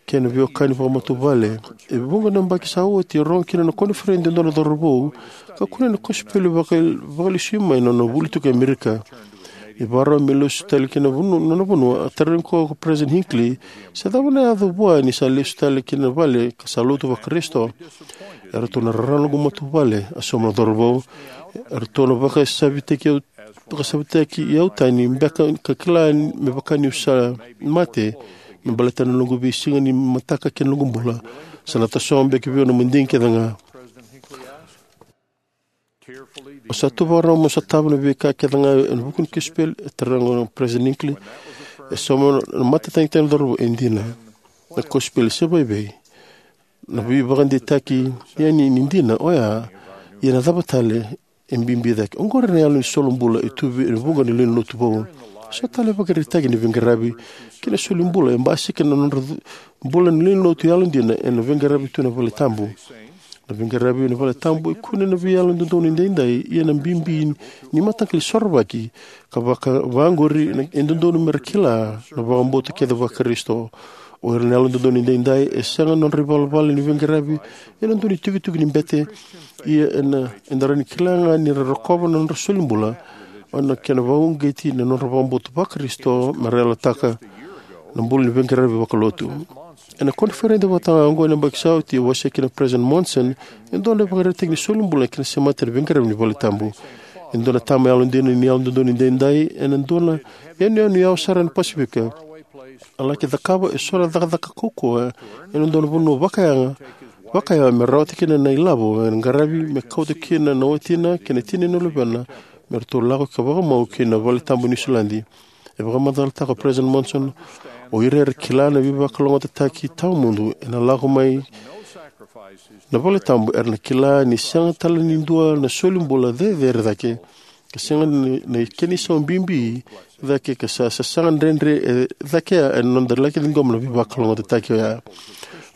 kei na veiwekani vakamatavuvale. E vuqa na yabaki sa oti, e rogo kina na koniferedi e dua na cauravou ka kunea na kosipeli vaka, vakalesui mai na nona vuli tiko e Amerika. Ni vakarau me lesu tale ki na vanua, nona vanua, a tarogi koya ko President Hinckley se cava na yaco vua ni sa lesu tale ki na vale ka sa lotu Vakarisito. E ratou na rarawa na noqu matavuvale, a sauma na cauravou. E ratou na vakasavitaki au, vakasavitaki au tani beka ka kila me vaka niu sa mate me baleta na noqu veisiga ni mataka kei na noqu bula. Sa na tasogo beka vei au na madigi kece ga. O sa tu vakarau mo sotava na veika kece ga ena vuku ni kosipeli? E taroga o President Hinckley. E sauma na mata tagitaki na cauravou: E dina. Na kosipeli se vakaevei? Na veivakadeitaki yani ni dina oya. Ia na cava tale e bibi cake? Oqori na yalo ni soli bula e tu vei vuqa na lewe ni lotu vou. So tale na ivakaraitaki ni veiqaravi kei na soli bula e basika na nodra bula ni lewe ni lotu yalodina ena veiqaravi tu ena valetabu. Na veiqaravi ena valetabu e kune na veiyalododonu edaidai, ia na bibi ni mataqali sorovaki ka vaka, vaqori e dodonu mera kila na vakabauta kece Vakarisito. O ira na yalododonu edaidai e sega na nodra ivalavala ni veiqaravi ena dua na itikotiko ni bete, ia ena, eda rawa ni kila ga ni ra rokova na nodra soli bula, o na kena vakauqeti na nodra vakabauta Vakarisito mera yalataka na bula ni veiqaravi vakalotu. Ena koniferedi vata ga oqo ena yabaki sa oti, e wasea kina o President Monson e dua na ivakaraitaki ni soli bula kei na semati ena veiqaravi ni valetabu. E dua na tama yalodina ni yalododonu edaidai ena dua na yanuyanu yawa sara ena Pasifika, a laki cakava eso na cakacaka kaukauwa ena dua na vanua vakayawa, vakayawa me rawata kina na ilavo ena qaravi me kauta kina na watina kei na tina ni luvena me ratou lako ka vakamau ki na valetabu e Niusiladi. E vakamacalataka o President Monson, o ira era kila na veivakalougatataki tawamudu ena lako mai na valetabu era na kila ni sega tale ni dua na soli bula cecere cake, ka sega ni, ni kena isau bibi cake, ka sa sasaga dredre e cake ena noda laki ciqoma na veivakalougatataki oya.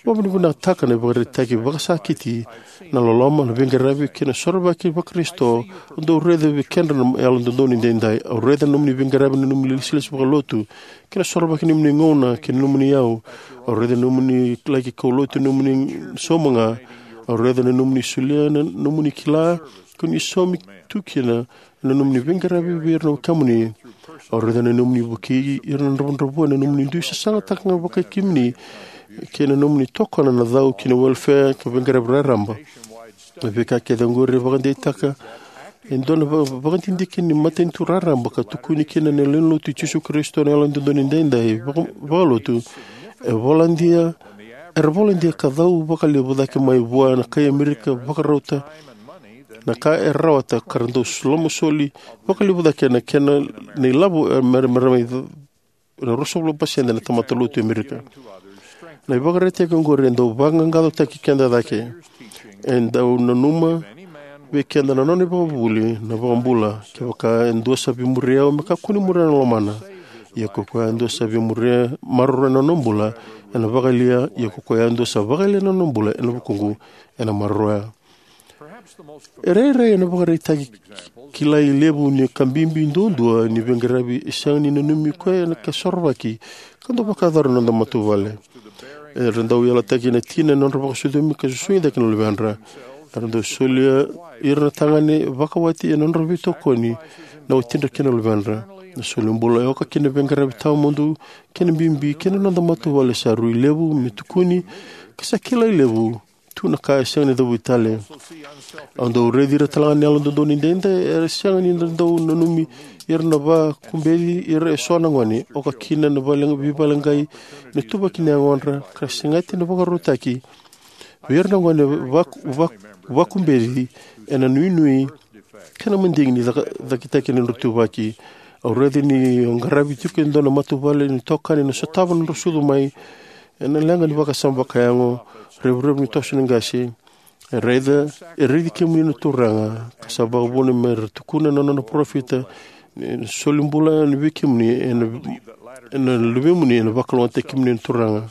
Vakavinavinakataka na ivakaraitaki vakasakiti, na loloma, na veiqaravi kei na sorovaki Vakarisito au dau raica vei kedra na yalododonu edaidai. Au raica na nomuni veiqaravi, na nomuni ilesilesi vakalotu kei na sorovaki ni nomuni gauna kei na nomuni iyau. Au raica na nomuni laki kaulotu, na nomuni sauma ga. Au raica na nomuni solia na nomuni kila ko ni saumi tu kina na nomuni veiqaravi vei ira na wekamuni. Au raica na nomuni vukei ira na dravudravua, na nomuni dui sasagataka ga vakai kemuni kei na nomuni tokona na cau ki na welfare ka veiqaravi raraba. Na veika kece oqori e vakadeitaka e dua na va-, vakadidike ni matanitu raraba ka tukuni kina na lewe ni lotu i Jisu Karisito na yalododonu edaidai vaka-, vakalotu. E voladia, era voladia ka cau vakalevu cake mai vua na kai Amerika vakarauta na ka e rawata, ka ra dau lomasoli vakalevu cake na kena na ilavo e mera, mera mai na ruasagavulu pasede na tamata lotu e Amerika. Na ivakaraitaki oqori e dau vaqaqacotaki keda cake. E dau nanuma vei keda na nona ivakavuvuli na iVakabula: Kevaka e dua sa veimuria au, me kakua ni muria na lomana. Ia ko koya e dua sa veimuria, maroroya na nona bula, ena vakayalia. Ia ko koya e dua sa vakayalia na nona bula ena vukuqu, ena maroroya. E rairai na ivakaraitaki kilai levu ni ka bibi duadua ni veiqaravi e sega ni nanumi koya na kena sorovaki ka dau vakayacora na noda matavuvale. Era dau yalataki na tina ena nodra vakasucumi ka susugi cake na luvedra. Era dau solia ira na tagane vakawati ena nodra veitokoni na watidra kei na luvedra. Na solibula e oka kina na veiqaravi tawamudu kei na bibi kei na noda matavuvale sa rui levu me tukuni ka sa kilai levu tu na ka e sega ni cavuti tale. Au dau raici ira talega na Yalododonu Edaidai era sega ni dau nanumi ira na vakubeci ira eso na gone, oka kina na vale-, veivakaleqai, na ituvaki ni yagodra, ka segata na vakarautaki vei ira na gone vaku-, vaku-, vakubeci ena nuinui kei na madigi ni caka-, cakitaki na nodra ituvaki. Au raica ni o qaravi tiko e dua na matavuvale ni itokani ena sotava na nodra sucu mai ena leqa ni vakasama vakayago, revurevu ni toso ni qase. E raica, e raici kemuni na Turaga, ka sa vakavuna me ra tukuna na nona parofita, ni solibula vei kemuni ena, ena luvemuni, ena vakalougatataki kemuni na Turaga.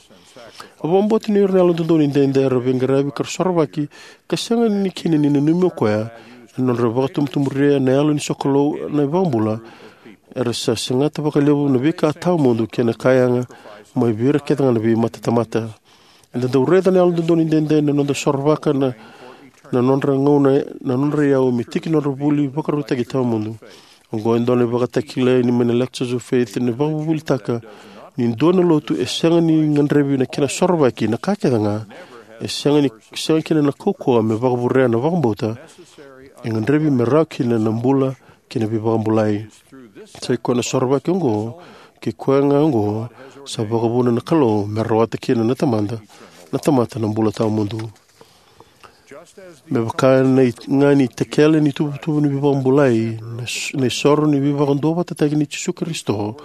Au vakabauta ni o ira na Yalododonu Edaidai era veiqaravi ka ra sorovaki, ka sega ni kina ni nanumi o koya ena nodra vakatubutuburia na yalo ni sokalou na iVakabula, era sa segata vakalevu na veika tawamudu kei na ka yaga mai vei ira kece ga na veimatatamata. Eda dau raica na Yalododonu Edaidai na noda sorovaka na, na nodra gauna, na nodra iyau me tiki nodra vuli vakarautaki tawamudu. Oqo e dua na ivakatakila ni mai na Lectures of Faith, na vakavuvulitaka ni dua na lotu e sega ni gadrevi na kena sorovaki na ka kece ga, e sega ni, sega kina na kaukauwa me vakavurea na vakabauta e gadrevi me rawa kina na bula kei na veivakabulai. Sa i koya na sorovaki oqo, kei koya ga oqo, sa vakavuna na Kalou me rawata kina na tamada, na tamata na bula tawamudu. Me vaka na i-, ga ni itakele ni ituvatuva ni veivakabulai, na s-, na isoro ni veivakaduavatataki nei Jisu Karisito,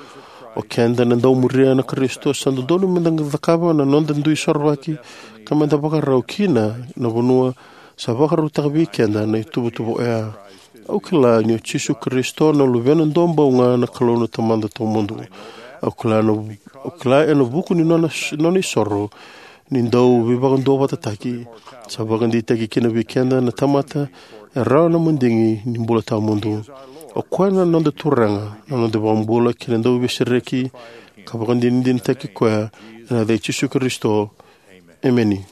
o keda na dau muria na Karisito sa dodonu meda cakava na noda dui sorovaki, ka meda vakarau kina na vanua sa vakarautaka vei keda na ituvatuva oya. Au kila ni o Jisu Karisito na Luvena duabau ga na Kalou na Tamada tawamudu. Au kila na, au kila ena vuku ni nona, nona isoro ni dau veivakaduavatataki, sa vakadeitaki kina vei keda na tamata e rawa na madigi ni bula tawamudu. O koya na noda Turaga, na noda iVakabula kei na Dauveisereki, ka vakadinadinataki koya ena yaca i Jisu Karisito. Emeni.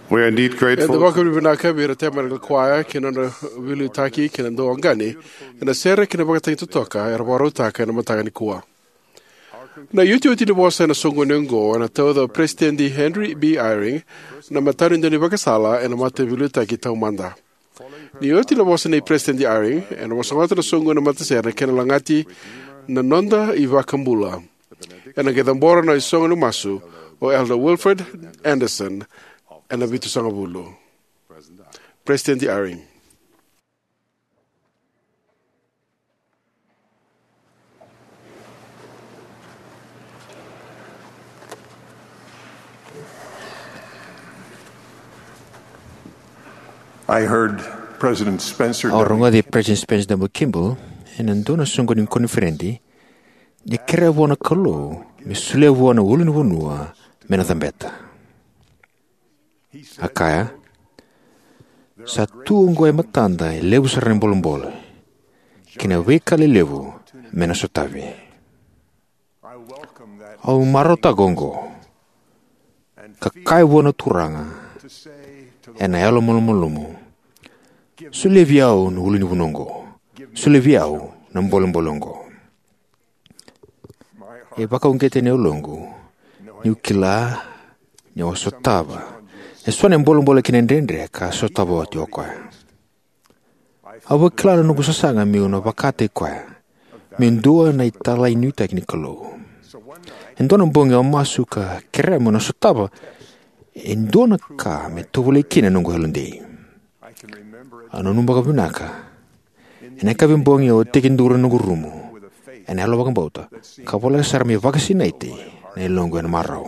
We are indeed grateful. Eda vakavinavinaka vei ira na tevoro ni kwaya kei na nodra veiliutaki kei na dauqaqani ena sere kei na ivakatagi totoka era vakarautaka ena mataka nikua. Na iotioti ni vosa ena soqoni oqo ena tauca o Peresitedi Henry B. Eyring, na matanitu ni ivakasala ena Mataveiliutaki Taumada. Ni oti na vosa nei Peresitedi Eyring, ena vosota na soqoni ni matasere kei na lagati na noda iVakabula. Ena qai cabora na isoqoni ni masu o Elder Wilfred Andersen ena vitusagavulu. Peresitedi Eyring. I heard President Spencer Au W. rogoci President Spencer W. Kimball ena dua na soqoni ni koniferedi ni kerea vua na Kalou me solia vua na ulunivanua me na cabeta. A kaya, sa tu oqo e matada e levu sara na bolebole kei na veika lelevu me na sotavi. Au marautaka oqo ka kaya vua na Turaga ena yalomalumalumu, solia vei au na ulunivanua oqo, solia vei au na bolebole oqo. E vakauqeta na yaloqu niu kila niu a sotava e so na bolebole kei na dredre ka a sotava oti o koya. Au vakila na noqu sasaga meu na vakataki koya meu dua na italai nuitaki ni Kalou. E dua na bogi au masu ka kerea meu na sotava e dua na ka me tovolei kina na noqu yalodei. Au nanuma vakavinaka ena yakavi bogi au a tekiduru ena noqu rumu ena yalo vakabauta ka voleka sara me vakasinaiti na yaloqu ena marau.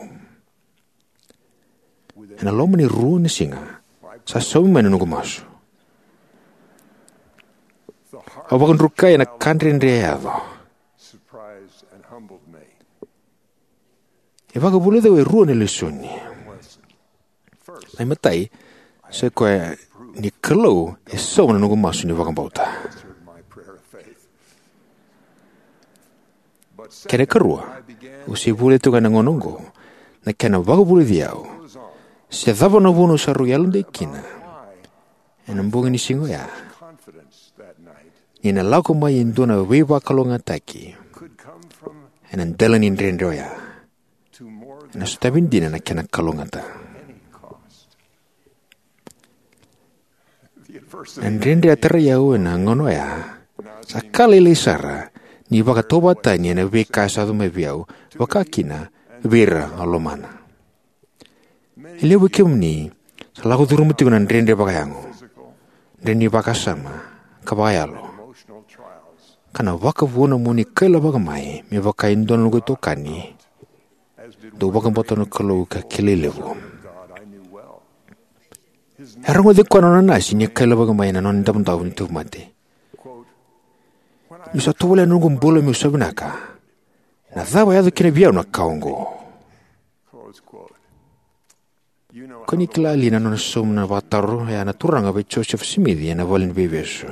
Ena loma ni rua na siga sa saumi mai na noqu masu. Au vakadrukai ena ka dredre e yaco. E vakavulica au e rua na lesoni. Na imatai, sa i koya ni Kalou e sauma na noqu masu ni vakabauta. Kena ikarua, au se vulica tiko ga ena gauna oqo na kena vakavulici au se cava na vuna au sa rui yalodei kina ena bogi ni siga oya, ni na lako mai e dua na veivakalougatataki ena dela ni dredre oya, ena sotavi dina na kena kalougata. Na dredre a tarai au ena gauna oya sa ka lailai sara ni vakatauvatani ena veika e yaco mai vei au, vaka kina vei ira au lomana. E levu vei kemuni sa lako curuma tiko na dredre vakayago, dredre ni vakasama ka vakayalo, ka na vakavuna mo ni kailavaka mai me vaka e dua na noqu itokani dau vakabauta na Kalou ka kilai levu. E a rogoci koya na nona nasi ni kailavaka mai ena nona idavodavo ni tauvimate. Niu sa tovolea na noqu bula meu sa vinaka, na cava e yaco kina vei au na ka oqo? Ko ni kila li na nona sauma na vakataro oya na Turaga vei Josefa Simici ena valeniveivesu?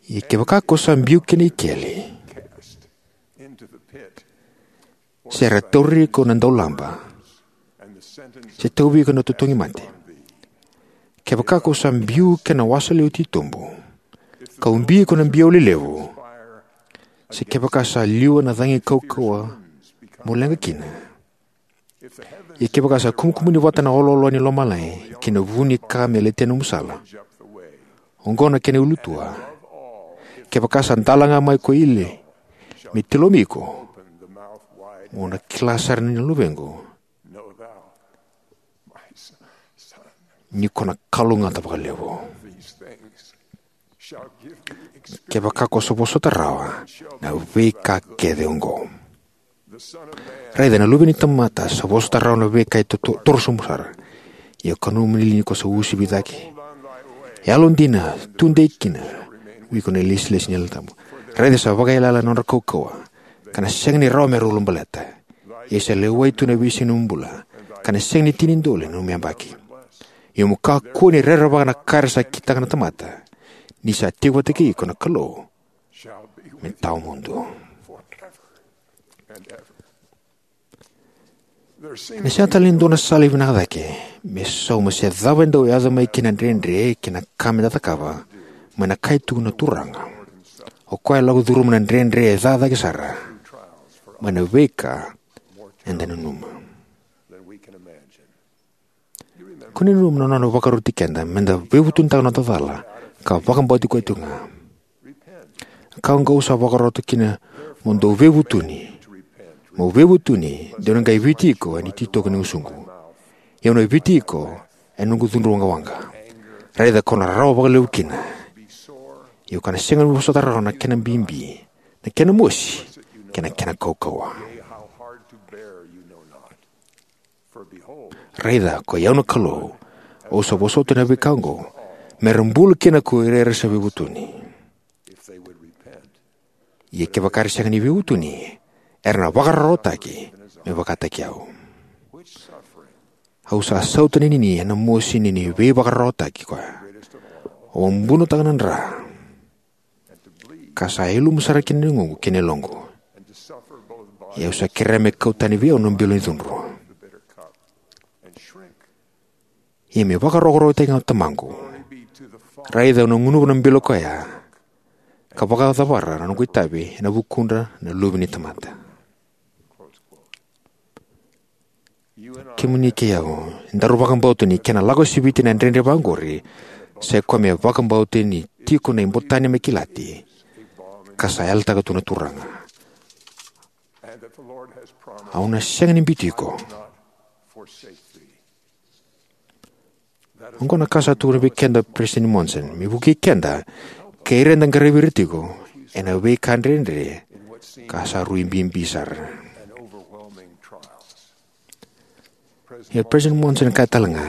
Ia kevaka ko sa biu ki na ikeli, se ra tauri iko na daulaba, se tauvi iko na totogi mate, kevaka ko sa biu ki na wasa lewe titobu, ka ubi iko na biau lelevu, se kevaka sa liwa na cagi kaukauwa mo leqa kina, ia kevaka sa kumukumuni vata na oloolo ni lomalagi ki na vu ni ka me letia nomu sala, oqo na kena ulutua, kevaka sa dalaga mai ko Eli me tilomi iko, mo na kila sara ni na luvequ, ni ko na kalougata vakalevu. Kevaka ko sa vosota rawa na veika kece oqo. Raica, na Luve ni tamata sa vosota rawa na veika e to- to- torosobu sara. Ia ko na nomuni liga ni ko sa uasivi cake. Yalodina, tudei kina vei iko na ilesilesi ni Yalo Tabu. Raica, sa vakaiyalayala na nodra kaukauwa, ka na sega ni rawa me ra ulabaleta. Ia sa lewai tu na veisiga ni nomu bula, ka na sega ni tini dole na nomu yabaki. Ia mo kakua ni rerevaka na ka era sa kitaka na tamata, ni sa tiko vata kei iko na Kalou me tawamudu. Ena sega tale ni dua na sala e vinaka cake me sauma se cava e dau yaco mai kina na dredre kei na ka me da cakava mai na ka e tukuna na Turaga. O koya e lako curuma na dredre e ca cake sara mai na veika eda nanuma. Ko ni nanuma na nona vakaroti keda me da veivutunitaka na noda cala ka vakabauti koya tiko ga. Ka oqo au sa vakarota kina mo dou veivutuni. Mo veivutuni, de au na qai Viti iko ena ititoko ni gusuqu. Ia au na Viti iko ena noqu cudru waqawaqa. Raica kau na rarawa vakalevu kina. Ia au ka na sega ni vosota rawa na kena bibi, na kena mosi, kei na kena kaukauwa. Raica, ko i au na Kalou, au sa vosota na veika oqo, me ra bula kina ko ira era sa veivutuni. Ia kevaka era sega ni veivutuni, era na vakararawataki me vakataki au. Au sa sautaninini ena mosi ni ni veivakararawataki koya. Au a bunotaka na dra, ka sa ilumu sara kina na iukuuku kei na yaloqu. Ia au sa kerea me kau tani vei au na bilo ni cudru. Ia me vakarokorokotaki ga o Tamaqu. Raica au na gunuva na bilo koya, ka vakacavara na noqu itavi ena vukudra na luve ni tamata. Kemuni kei au, daru vakabauta ni kena lako siviti na dredre vaqori, sa i koya me vakabauta ni tiko na ibotani me kilati, ka sa yalataka tu na Turaga. Au na sega ni biuti iko. Oqo na ka sa tukuna vei keda o President Monson, me vukei keda, kei ira eda qaravi ira tiko, ena veika dredre, ka sa rui bibi sara. Ia President Monson e kaya tale ga,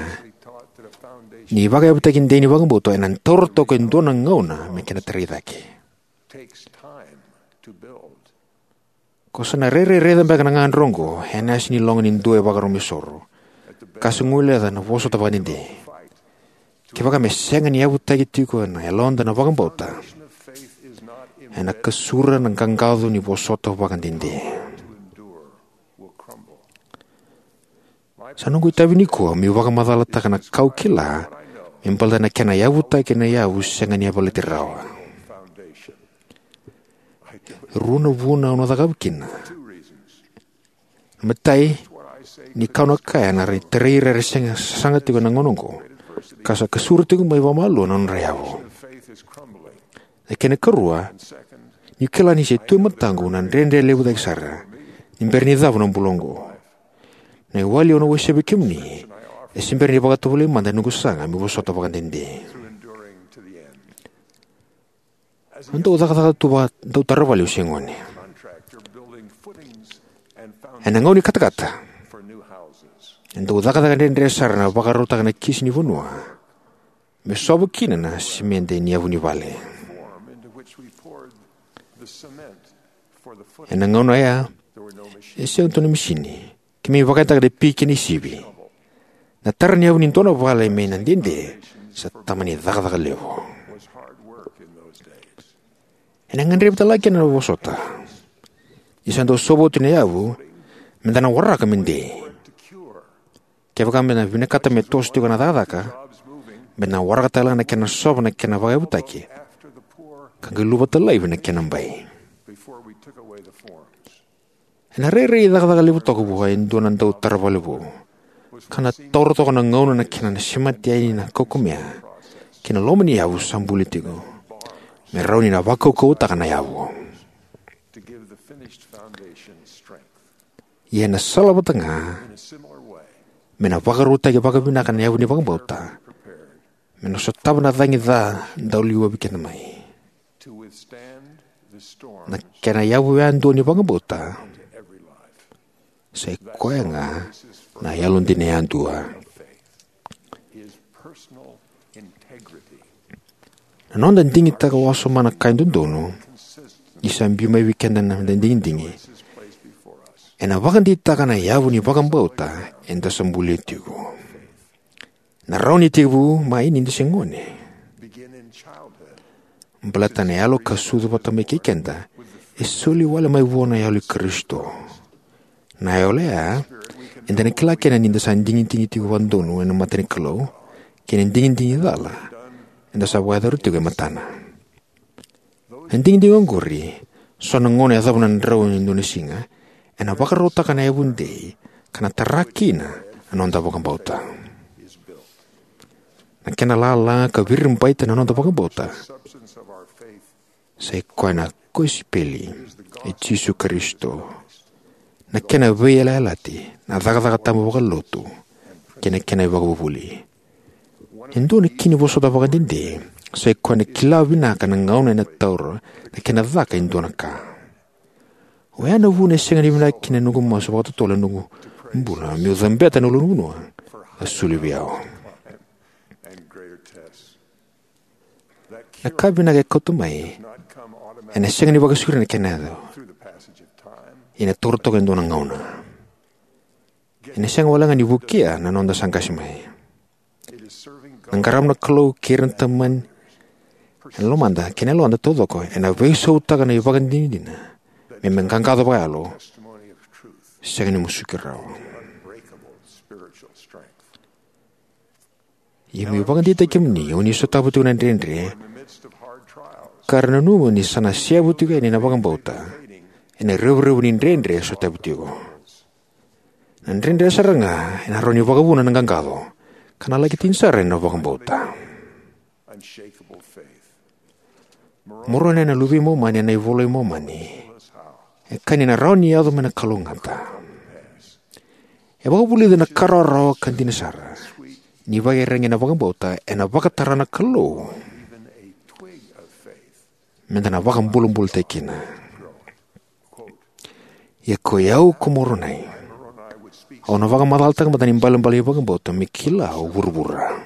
ni vakayavutaki dei ni vakabauta, ena taura toka e dua na gauna, me kena tarai cake. Ko sa na rairai raica beka na gagadre oqo, ena yasa ni loga ni dua e vakarau me soro. Ka sa guileca na vosota vakadede. Kevaka me sega ni yavutaki tiko ena yaloda na vakabauta, ena kasura na qaqaco ni vosota vakadede. Sa noqu itavi nikua meu vakamacalataka na ka au kila, me baleta na kena yavutaki na yavu sega ni yavalati rawa. Rua na vuna au na cakava kina. Na matai, ni ka au na kaya ena rawa ni tarai ira era sega, sasaga tiko ena gauna oqo, ka sa kasura tiko mai vakamalua na nodra yavu. Na kena karua, niu kila ni se tu e mataqu na dredre levu cake sara, ni bera ni cava na bula oqo. Na iwali au na wasea vei kemuni, e se bera ni vakatovolei mada na noqu sasaga meu vosota vakadede. Au dau cakacaka tu vaka dautara vale au se gone. Ena gauna ni katakata, e dau cakacaka dredre sara na vakarautaka na kisi ni vanua, me sova kina na simede ni yavu ni vale. Ena gauna oya, e sega tu na misini, keimami vakayagataka na piki kei na isivi. Na tara ni yavu ni dua na vale me na dede, sa tama ni cakacaka levu. Ena gadrevi tale ga kina na vosota. Ni sa dau sova oti na yavu, meda na waraka me dei. Kevaka meda na vinakata me toso tiko na cakacaka, meda na waraka tale ga na kena sova na kena vakayavutaki, ka qai luvata laivi na kena bai. Ena rairai cakacaka levu toka vua e dua na dautara vale vou, ka na taura toka na gauna na kena na semati yani na kaukamea kei na loma ni yavu sa buli tiko, me rawa ni na vakaukauwataka na yavu. Ia ena sala vata ga, me na vakarautaki vakavinaka na yavu ni vakabauta, me na sotava na cagi ca dau liwavi keda mai. Na kena yavu yadua ni vakabauta, sa i koya ga na yalodina yadua. Na noda digitaka wasoma na ka e dodonu, ni sa biu mai vei keda na noda digidigi, ena vakadeitaka na yavu ni vakabauta eda sa bulia tiko. Na rawa ni tekivu mai ni da se gone. Baleta na yalo ka sucu vata mai kei keda, e soli wale mai vua na yalo i Karisito. Na yalo ya, Eda na kila kina ni da sa digidigi tiko vakadodonu ena mata ni Kalou, kei na digidigi cala eda sa vakayacora tiko e matana. Na digidigi oqori, so na gauna e yacova na drau ni dua na siga, ena vakarautaka na yavudei ka na tara kina na noda vakabauta. Na kena lala ka viribaita na noda vakabauta sa i koya na kosipeli i Jisu Karisito, na kena veiyalayalati, na cakacaka tabu vakalotu, kei na kena ivakavuvuli. E dua na kena vosota vakadede sa i koya na kila vinaka na gauna ena taura na kena caka e dua na ka. Oya na vuna e sega ni vinaka kina na noqu masu vakatotolo ena noqu bula meu cabeta na ulunivanua ka soli vei au. Na ka vinaka e kauta mai ena sega ni vakasauri na kena yaco. Ia ena taura toka e dua na gauna. Ena sega walega ni vukea na noda sa qase mai. Na qarava na Kalou kei ira na tamata ena lomada kei na yaloda taucoko ena veisautaka na ivakadinadina me mai qaqaco vakayalo, sega ni musuki rawa. Ia meu vakadeitaki kemuni, o ni sotava tiko na dredre, ka ra nanuma ni sa na seavu tiko yani na vakabauta ena revurevu ni dredre e sotava tiko. Na dredre sara ga ena rawa ni vakavuna na qaqaco, ka na laki tini sara ena vakabauta. Moroni na luve i Momani ena iVola i Momani e kaya ni na rawa ni yaco mai na kalougata. E vakavulica na ka rawarawa ka dina sara ni vakaiyaragi ena vakabauta ena vakatara na Kalou meda na vakabulabulataki kina. Ia koi au ko Moronai, au na vakamacalataka mada na ibalebale ni vakabauta me kila o vuravura.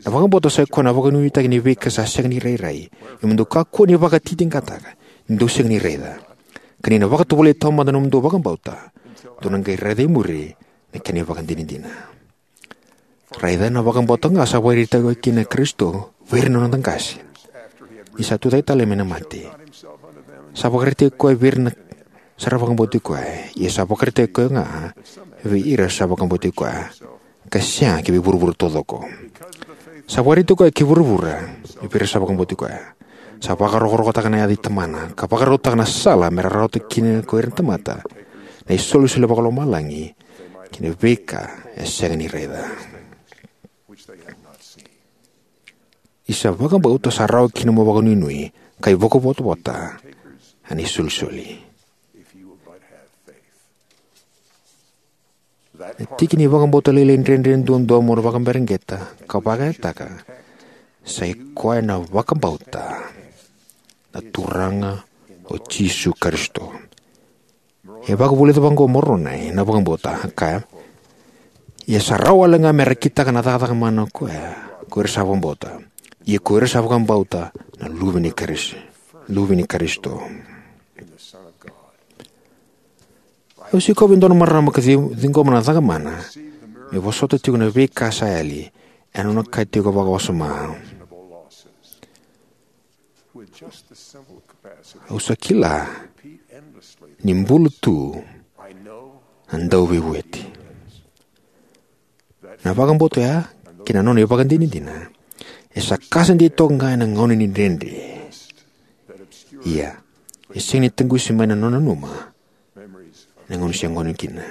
Na vakabauta sa i koya na vakanuinuitaki ni veika sa sega ni rairai, ia mo dou kakua ni vakatitiqataka ni dou sega ni raica, ka ni na vakatovolei taumada na nomudou vakabauta, dou na qai raica e muri na kena ivakadinadina. Raica, na vakabauta ga sa vakaraitaki koya kina na Karisito vei ira na noda qase ni sa tucake tale mai na mate. Sa vakaraitaki koya vei ira na sa ra vakabauti koya, ia sa vakaraitaki koya ga vei ira sa vakabauti koya, ka sega ki vei vuravura taucoko. Sa vakaraitaki koya ki vuravura vei ira sa vakabauti koya. Sa vakarokorokotaka na yaca i Tamana ka vakarautaka na sala me ra rawata kina ko ira na tamata na isolisoli vakalomalagi ki na veika e sega ni raica. Isa vakabauta sa rawa kina mo vakanuinui ka ivakavotavota ena isolisoli. Na tiki ni vakabauta lailai dredre duadua mo na vakaberegeta ka vakayagataka sa i koya na vakabauta na Turaga o Jisu Karisito. E vakavulica vaqo o Moronai na vakabauta, a kaya: Ia sa rawa wale ga me ra kitaka na cakacaka mana o koya ko ira sa vakabauta, ia ko ira sa vakabauta na Luve ni Karis-, Luve ni Karisito. Au sikova e dua na marama ka ci-, ciqoma na cakamana me vosota tiko na veika sa yali ena nona ka tiko vakawasoma. Au sa kila ni bula tu na Dauveivueti. Na vakabauta oya kei na nona ivakadinadina e sa kasa dei toka ga ena gauna ni dredre. Ia, e sega ni taqusi mai na nona nanuma ena gauna se gone kina.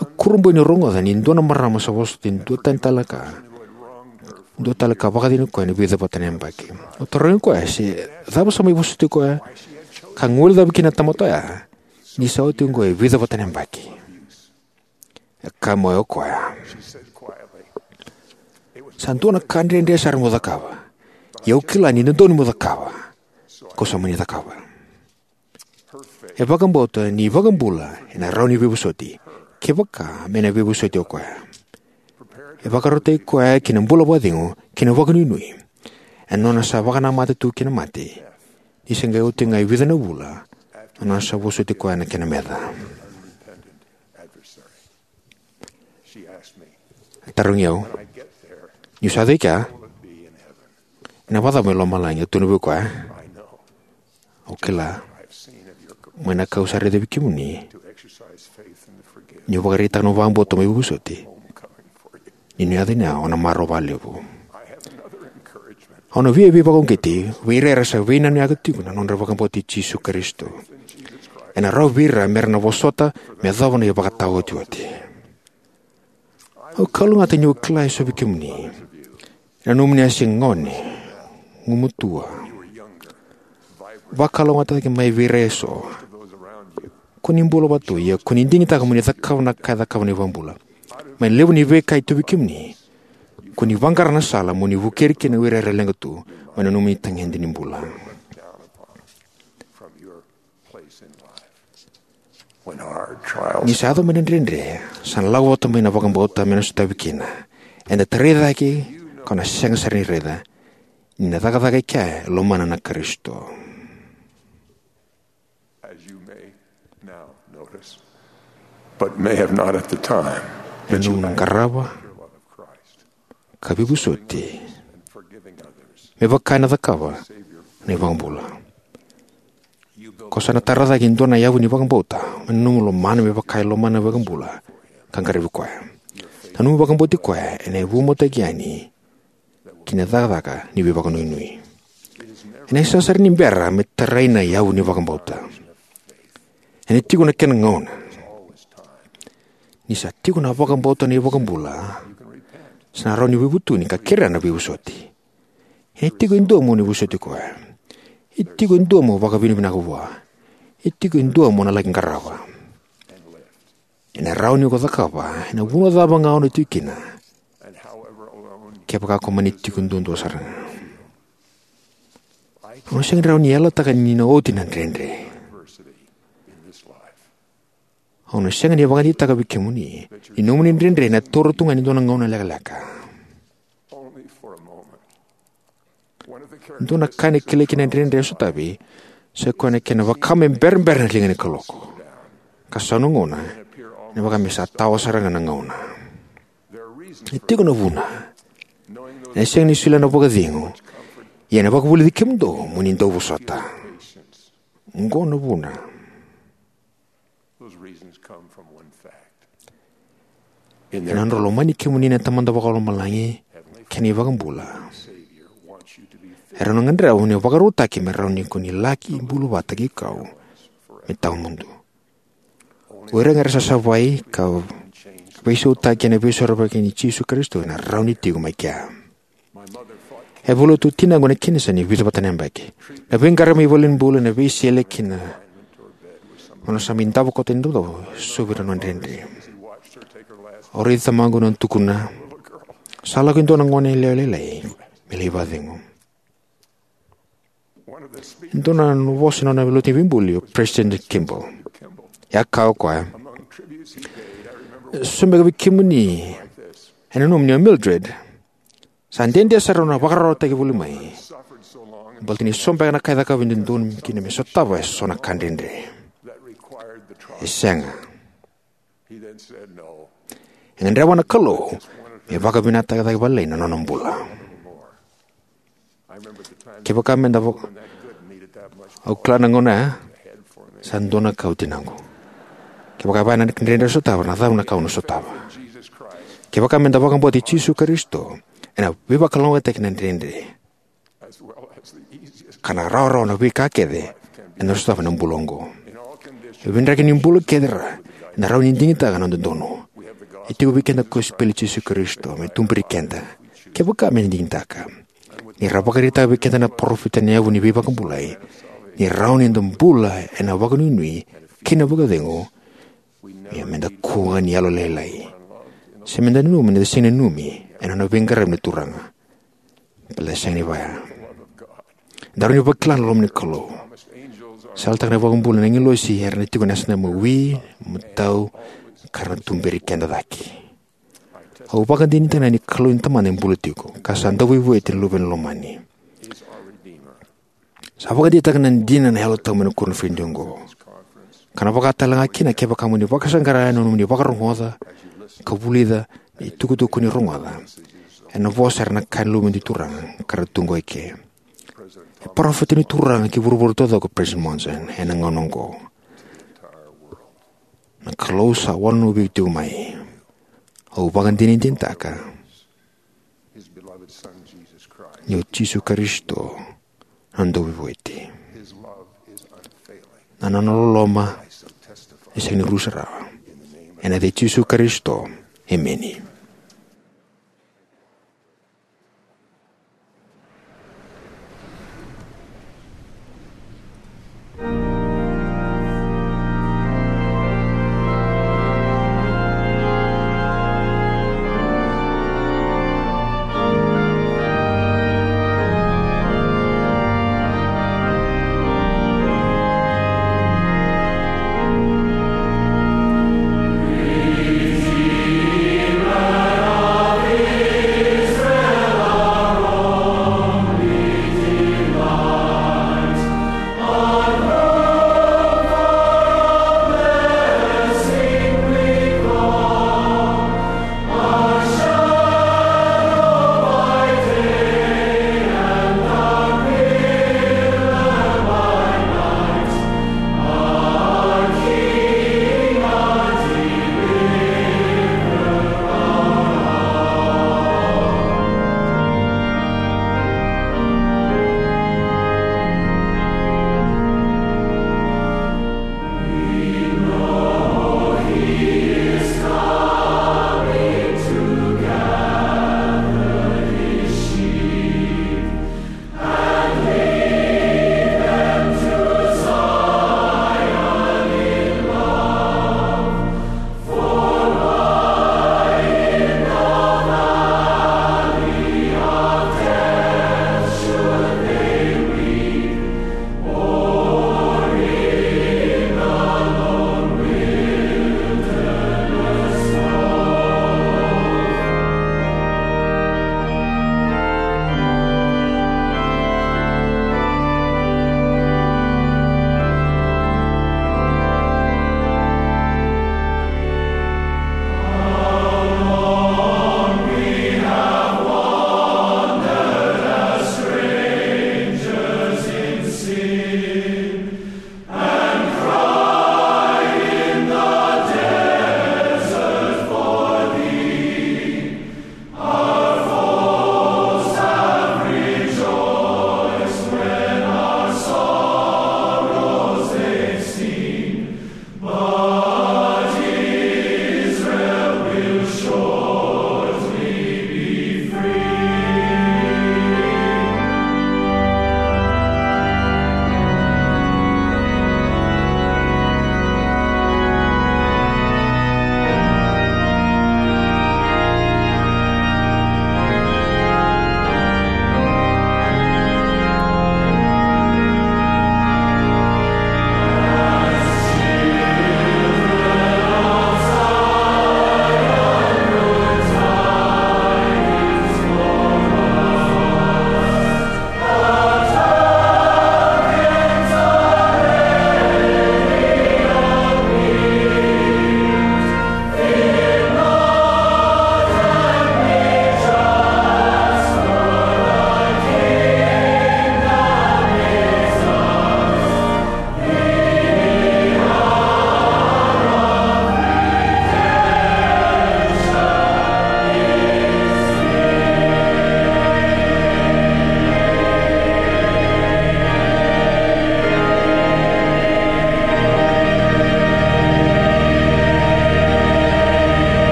Au kurabui niu rogoca ni dua na marama sa vosota e dua tani tale ka, dua tale ka vakacegui koya ena vica vata na yabaki. Au tarogi koya se cava sa mai vosoti koya ka guilecava kina na tamata oya ni sa oti oqo e vica vata na yabaki. E kaya mai o koya: Sa dua na ka dredre sara meu cakava. Ia au kila ni dodonu meu cakava, kau sa mani cakava. E vakabauta ni iVakabula ena rawa ni veivosoti, kevaka me na veivosoti o koya. E vakarautaki koya ki na bula vakacegu kei na vakanuinui ena nona sa vakanamata tu ki na mate, ni se qai oti ga e vica na vula na nona sa vosoti koya na kena meca. E tarogi au: Niu sa cai kea, ena vakacava mai lomalagi? Au tukuna vei koya: Au kila. Mai na ka au sa raica vei kemuni, niu vakaraitaka na vakabauta mai veivosoti, ni na yaco ni o na marau vakalevu. Au na via veivakauqeti vei ira era sa veinanuyaka tiko na nodra vakabauta i Jisu Karisito. Ena rawa vei ira me ra na vosota me yacova na ivakataotioti. Au kalougata niu kila eso vei kemuni, ena nomuni a se gone, gumatua, vakalougatataki mai vei ira eso. Ko ni bula vata tu, ia ko ni digitaka mo ni cakava na ka e cakava na iVakabula. Mai levu ni veika e tu vei kemuni, ko ni vaqara na sala mo ni vukei ira kina o ira era leqa tu mai na nomuni tagede ni bula. When our trials Ni sa yaco mai na dredre, sa na lako vata mai na vakabauta me na sotavi kina. Eda tarai cake, ko na sega sara ni raica ni na cakacaka e kea e lomana na Karisito. As you may now notice, but may have not at the time, E that you nomu na qarava ka veivosoti me vaka e na cakava na iVakabula. Ko sa na tara cake e dua na yavu ni vakabauta mai na nomu lomana me vaka e lomana na iVakabula ka qaravi koya. Na nomu vakabauti koya ena vuautaki yani ki na cakacaka ni veivakanuinui. Ena sega sara ni bera me tarai na yavu ni vakabauta. Ena tiko na kena gauna. Ni sa tiko na vakabauta na iVakabula, sa na rawa ni veivutuni ka kerea na veivosoti. Ena tiko e dua mo ni vosoti koya. E tiko e dua mo vakavinavinaka vua. E tiko e dua mo na laki qarava. Ena rawa ni ko cakava ena vanua cava ga o na tiko kina, kevaka ko mani tiko duadua sara ga. Au na sega ni rawa ni yalataka ni na oti na dredre. Au na sega ni vakadeitaka vei kemuni ni nomuni dredre ena taura tu ga ni dua na gauna lekaleka. Dua na ka ena kilai kina na dredre e sotavi, sa koya na kena vaka me berabera na liga ni kaloko. Ka sa na gauna, ena vaka me sa tawa sara ga na gauna. E tiko na vuna. Ena sega ni solia na vakacegu. Ia ena vakavulici kemudou mo ni dau vosota. Oqo na vuna. Those reasons come from one fact. Ena nodra lomani kemuni na Tamada Vakalomalagi kei na iVakabula, era na gadreva mo ni vakarautaki me rawa ni ko ni laki bula vata kei kau me tawamudu. O ira ga era sa savai ka veisautaki ena veisorovaki nei Jisu Karisito ena rawa ni tiko mai kea. E a vula tu o tinaqu ena kenisa ni vica vata na yabaki. Na veiqaravi mai valenibula, na veisele kei na nona sa mai davo koto ena idavodavo e so vei ira na nona dredre. Au raici tamaqu ena nona tukuna, sa lako e dua na gone yalewa lailai me lai vakacegu. E dua na vosa ena nona lotu ni veibuli o President Kimball. E a kaya o koya, so beka vei kemuni ena nomuni o Mildred, sa dede sara na vakararawataki voli mai. Baleta ni so beka na ka e cakava e dodonu kina me sotava e so na ka dredre. E sega. E gadreva na Kalou me vakavinakataka cake vakalailai na nona bula. Kevaka meda vo-, au kila na gauna ya, sa dua na ka o tinaqu. Kevaka e vaya na dredre sotava, na cava na ka au na sotava? Kevaka meda vakabauti Jisu Karisito, ena veivakalougatataki na dredre. Ka na rawarawa na veika kece eda na sotava ena bula oqo. E veidraki ni bula kece ra, eda rawa ni digitaka na dodonu. E tiko vei keda na kosipeli i Jisu Karisito me tuberi keda, kevaka meda digitaka. Ni ra vakaraitaka vei keda na parofita na yavu ni veivakabulai, ni rawa ni da bula ena vakanuinui kei na vakacegu, ia meda kua ni yalolailai. Se meda nanumi ni da sega ni nanumi ena nona veiqaravi na Turaga. Baleta e sega ni vaya. Daru ni vakila na loma ni Kalou. Sa yalataka na iVakabula na agilosi era na tiko ena yasana mai wi, matau, ka ra na tuberi keda cake. Au vakadinadinataka ni Kalou ni Tamada e bula tiko, ka sa dau veivueti na Luvena lomani. Sa vakadeitaka na dina na Yalo Tabu mai na koniferedi oqo. Ka na vaka tale ga kina kevaka mo ni vakasaqara ena nomuni vakarogoca ka vulica na itukutuku ko ni rogoca. Ena vosa era na kaya na luve ni Turaga ka ra tu qo eke. E parofita ni Turaga ki vuravura taucoko o President Monson ena gauna oqo. Na Kalou sa wanonovi iko tiko mai. Au vakadinadinataka ni o Jisu Karisito na Dauveivueti. Na nona loloma e sega ni rusa rawa. Ena yaca i Jisu Karisito, emeni.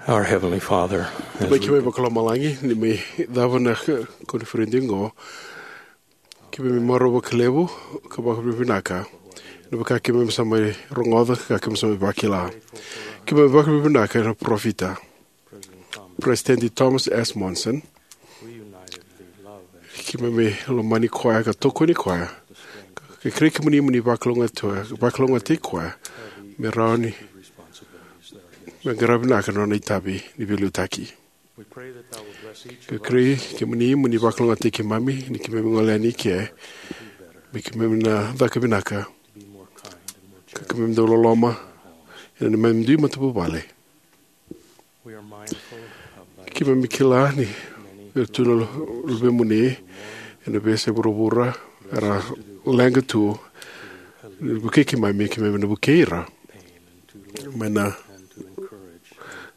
Our Heavenly Father, as Mai we keimami vakalomalagi, ni mai cava na koniferedi oqo, keimami marau vakalevu ka vakavinavinaka. Na vaka keimami sa mai rogoca ka keimami sa mai vakila. Keimami vakavinavinaka na parofita, President Thomas S. Monson. Keimami lomani koya ka tokoni koya. Ka kerei kemuni mo ni vakalougatataki, vakalougatataki koya me rawa ni me qaravi vinaka na nona itavi ni veiliutaki. Ka kerei kemuni mo ni vakalougatataki keimami ni keimami gole yani i ke, me keimami na caka vinaka, ka keimami dau loloma ena neimami dui matavuvale. Keimami kila ni era tu na luvemuni ena veiyasai vuravura era leqa tu ni vukei keimami, keimami na vukei ira mai na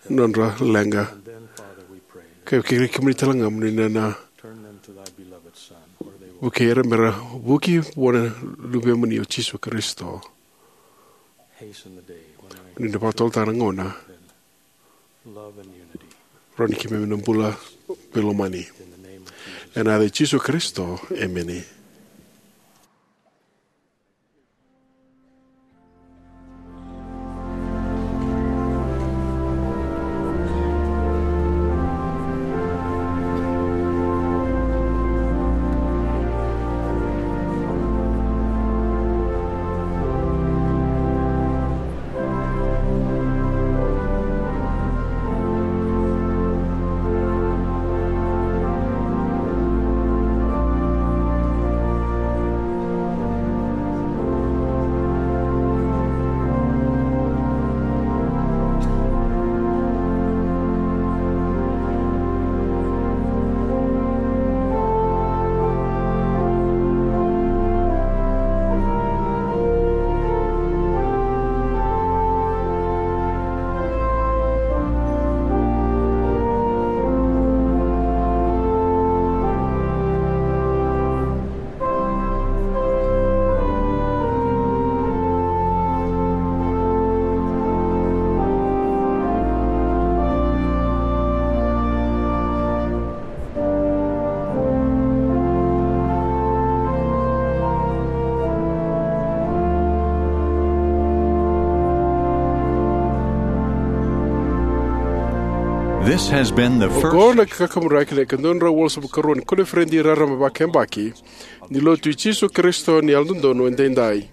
nodra leqa. Ka kerekere kemuni tale ga mo ni na vukei ira mera vuki vua na luvemuni o Jisu Karisito. Ni na vakatotolo tale na gauna rawa ni keimami na bula veilomani. Ena yaca i Jisu Karisito, emeni. This has been the Oqo first na kakaburaki na ikaduadrau walusagavulu karua ni koniferedi raraba vakayabaki ni Lotu i Jisu Karisito ni Yalododonu Edaidai.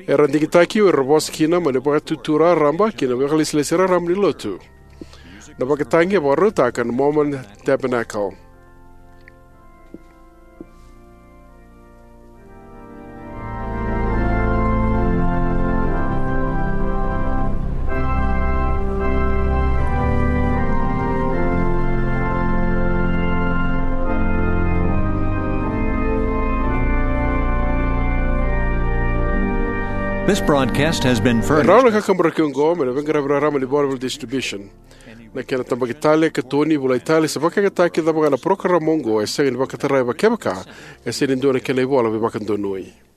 Era digitaki o ira vosa kina mai na Vakatutu Raraba kei na Vakalesilesi Raraba ni Lotu. Na vakatagi e vakarautaka na Mormon Tabernacle. This broadcast has been E rawa na furnished. Kakaburaki oqo mai na veiqaravi raraba ni Bonneville Distribution. Na kena tabaki tale, katoni, volai tale, se vakayagataki cava ga na parokaramu oqo e sega ni vakatarai kevaka e sega ni dua na kena ivola veivakadonui.